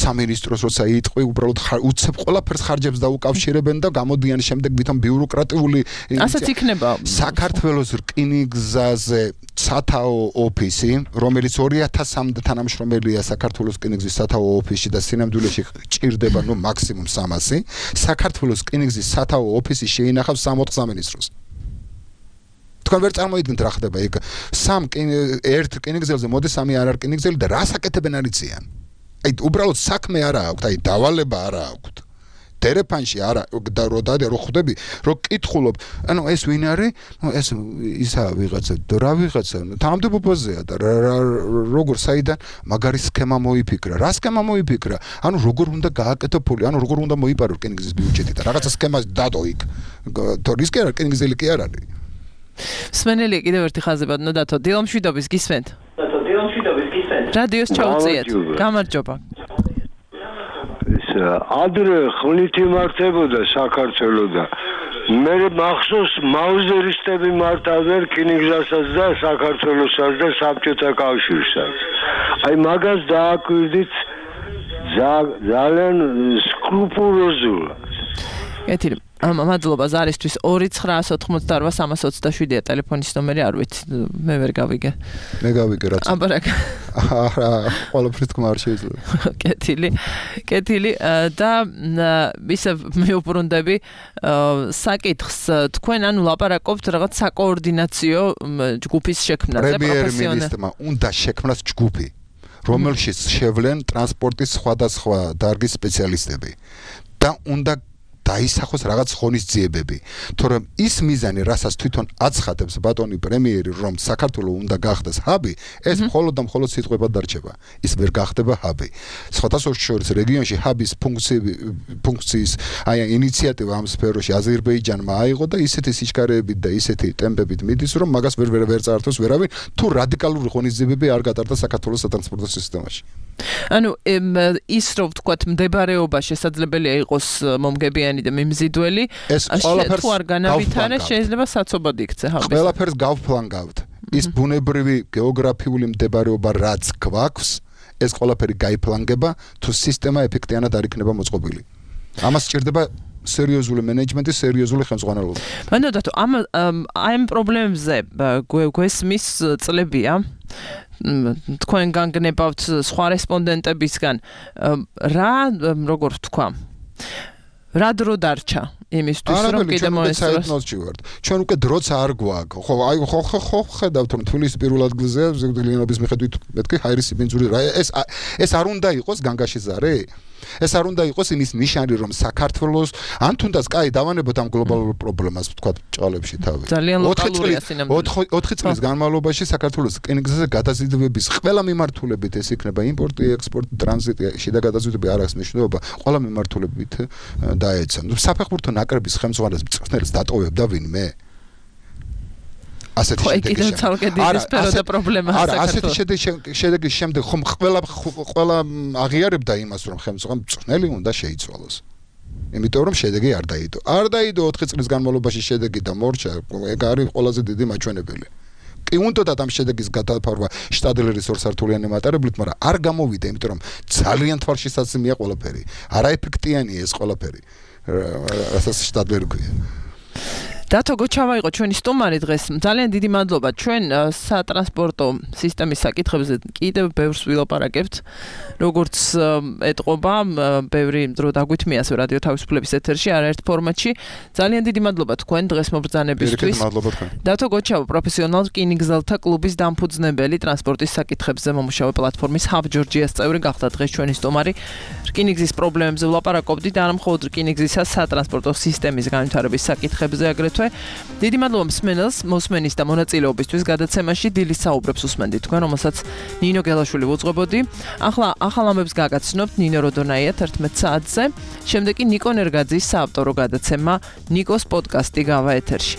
სამინისტროს როცა იტყვი უბრალოდ უცებ ყველაფერს ხარჯებს და უკავშირებენ და გამოდიან შემდეგ ვითომ ბიუროკრატიული ასეც იქნება საქართველოს რკინიგზაზე სათაო ოფისი რომელიც 2003-მდე თანამშრომელია საქართველოს რკინიგზის სათაო ოფისში და სინამდვილეში ჭირდება მაქსიმუმ 300 საქართველოს რკინიგზის სათაო ოფისი შეინახავს 60 სამინისტროს თქვენ ვერ წარმოიდგენთ რა ხდება იქ ერთ რკინიგზელზე მოდის 3 არ რკინიგზელი და რას აკეთებენ არიციან აი უბრალოდ საქმე არა აქვთ აი დავალება არა აქვთ ტელეფონში არა და რო ხვდები რო კითხულობ ანუ ეს ვინ არის ეს ისა ვიღაცა რა ვიღაცა თანამდებობაზეა და როგორ საიდან მაგარი სქემა მოიფიქრა რა სქემა მოიფიქრა ანუ როგორ უნდა გააკეთო ფული ანუ როგორ უნდა მოიპარო რკინიგზის ბიუჯეტი და რაღაცა სქემას დადო იქ თორის კი არა რკინიგზელი კი არ არის სმენელი კიდევ ერთი ხაზი ბატონო დათო დილომშვიდობის გისმენთ რადიოს ჩაუწიეთ გამარჯობა ადრე ხმლით იმართებოდა საქართველოს და მე მახსოვს მაუზერისტები მართავდნენ რკინიგზასაც და საქართველოსაც და საბჭოთა კავშირსაც აი მაგას დააკვირდით ძალიან სკრუპულოზულად კეთილი მადლობა ზარისთვის 2988327-ია ტელეფონის ნომერი არ ვიცი მე ვერ გავიგე მე გავიგე რაც აბარაკ ყველაფრის თქმა არ შეიძლება კეთილი და ისე მეუბრუნდები საკითხს თქვენ ანუ ლაპარაკობთ რაღაც საკოორდინაციო ჯგუფის შექმნაზე პრემიერ-მინისტრმა უნდა შექმნას ჯგუფი რომელშიც შევლენ ტრანსპორტის სხვადასხვა დარგის სპეციალისტები და უნდა დაისახოს რაღაც ღონისძიებები თორემ ის მიზანი რასაც თვითონ აცხადებს ბატონი პრემიერი რომ საქართველოს უნდა გახდეს ჰაბი ეს მხოლოდ და მხოლოდ სიტყვებად დარჩება ის ვერ გახდება ჰაბი სხვადასხვა შორის რეგიონში ჰაბის ფუნქციის აი ინიციატივა ამ სფეროში აზერბაიჯანმა აიღო და ისეთი სიჩქარეებით და ისეთი ტემპებით მიდის რომ მაგას ვერ წაართოს ვერავინ თუ რადიკალური ღონისძიებები არ გატარდა საქართველოს სატრანსპორტო სისტემაში ანუ ის რომ ვთქვათ მდებარეობა შესაძლებელია იყოს მომგებიანი და მიმზიდველი თუ არ განავითარეს შეიძლება საცობად იქცე ჰაბის ყველაფერს გავფლანგავთ ის ბუნებრივი გეოგრაფიული მდებარეობა რაც გვაქვს ეს ყველაფერი გაიფლანგება თუ სისტემა ეფექტიანად არ იქნება მოწყობილი ამას სჭირდება სერიოზული მენეჯმენტი სერიოზული ხელმძღვანელობა ბანო დათო ამ პრობლემებზე გვესმის წლებია თქვენ განგნებავთ სხვა რესპონდენტებისგან რა როგორ ვთქვა რა დრო დარჩა იმისთვის რომ კიდე მოესწროს ჩვენ უკვე დროც არ გვაქვს ხო აი ხო ხედავთ რომ თბილისის პირველ ადგილზეა ზეგდლიანობის მიხედვით მეთქი ჰაირისი ბენზური რა ეს არ უნდა იყოს განგაში ზარე ეს არ უნდა იყოს იმის ნიშანი რომ საქართველოს ან თუნდაც კაი დავანებოთ ამ გლობალურ პრობლემას ვთქვა ჭალებში თავი ძალიან ლოკალურია სინამდვილეში 4 წლის განმავლობაში საქართველოს რკინიგზაზე გადაზიდვების ყველა მიმართულებით ეს იქნება იმპორტი ექსპორტი ტრანზიტი შიდა გადაზიდვები არ აქვს მნიშვნელობა ყველა მიმართულებით დაეცა საფეხბურთო ნაკრების ხელმძღვანელს მწვრთნელს დატოვებდა ვინმე ასეთი შედეგის შემდეგ ხომ ყველა აღიარებდა იმას რომ ხელმძღვანელი მწვრთნელი უნდა შეიცვალოს იმიტომ რომ შედეგი არ დაიდო 4 წლის განმავლობაში შედეგი და მორჩა ეგ არის ყველაზე დიდი მაჩვენებელი კი უნდათ ამ შედეგის გადაფარვა შტადლერის ორსართულიანი მატარებლით მაგრამ არ გამოვიდა იმიტომ რომ ძალიან თვალშისაცემია ყველაფერი არაეფექტიანია ეს ყველაფერი რასაც შტადლერი ქვია დათო გოჩავა იყო ჩვენი სტუმარი დღეს. ძალიან დიდი მადლობა. ჩვენ სატრანსპორტო სისტემის საკითხებზე კიდევ ბევრს ვილაპარაკებთ. როგორც ეტყობა, ბევრი დრო დაგვითმია ასე რადიო თავისუფლების ეთერში, არაერთ ფორმატში. ძალიან დიდი მადლობა თქვენ დღეს მობრძანებისთვის. მადლობა თქვენ. დათო გოჩავა, პროფესიონალ რკინიგზელთა კლუბის დამფუძნებელი, ტრანსპორტის საკითხებზე მომუშავე პლატფორმის Hub Georgia-ს წევრი გახდა დღეს ჩვენი სტუმარი. რკინიგზის პრობლემებზე ვლაპარაკობდით, არა მხოლოდ რკინიგზისა სატრანსპორტო სისტემის განვითარების საკითხებზე აგრეთვე. დიდი მადლობა მოსმენის და მონაწილეობისთვის გადაცემაში. დილის საუბრებს უსმენდით თქვენ, რომელსაც ნინო გელაშვილი უძღვებოდი. ახლა ახალ ამბებს გაგაცნობთ ნინო როდონაია 11 საათზე. შემდეგ კი ნიკო ნერგაძის საავტორო გადაცემა ნიკოს პოდკასტი გავა ეთერში.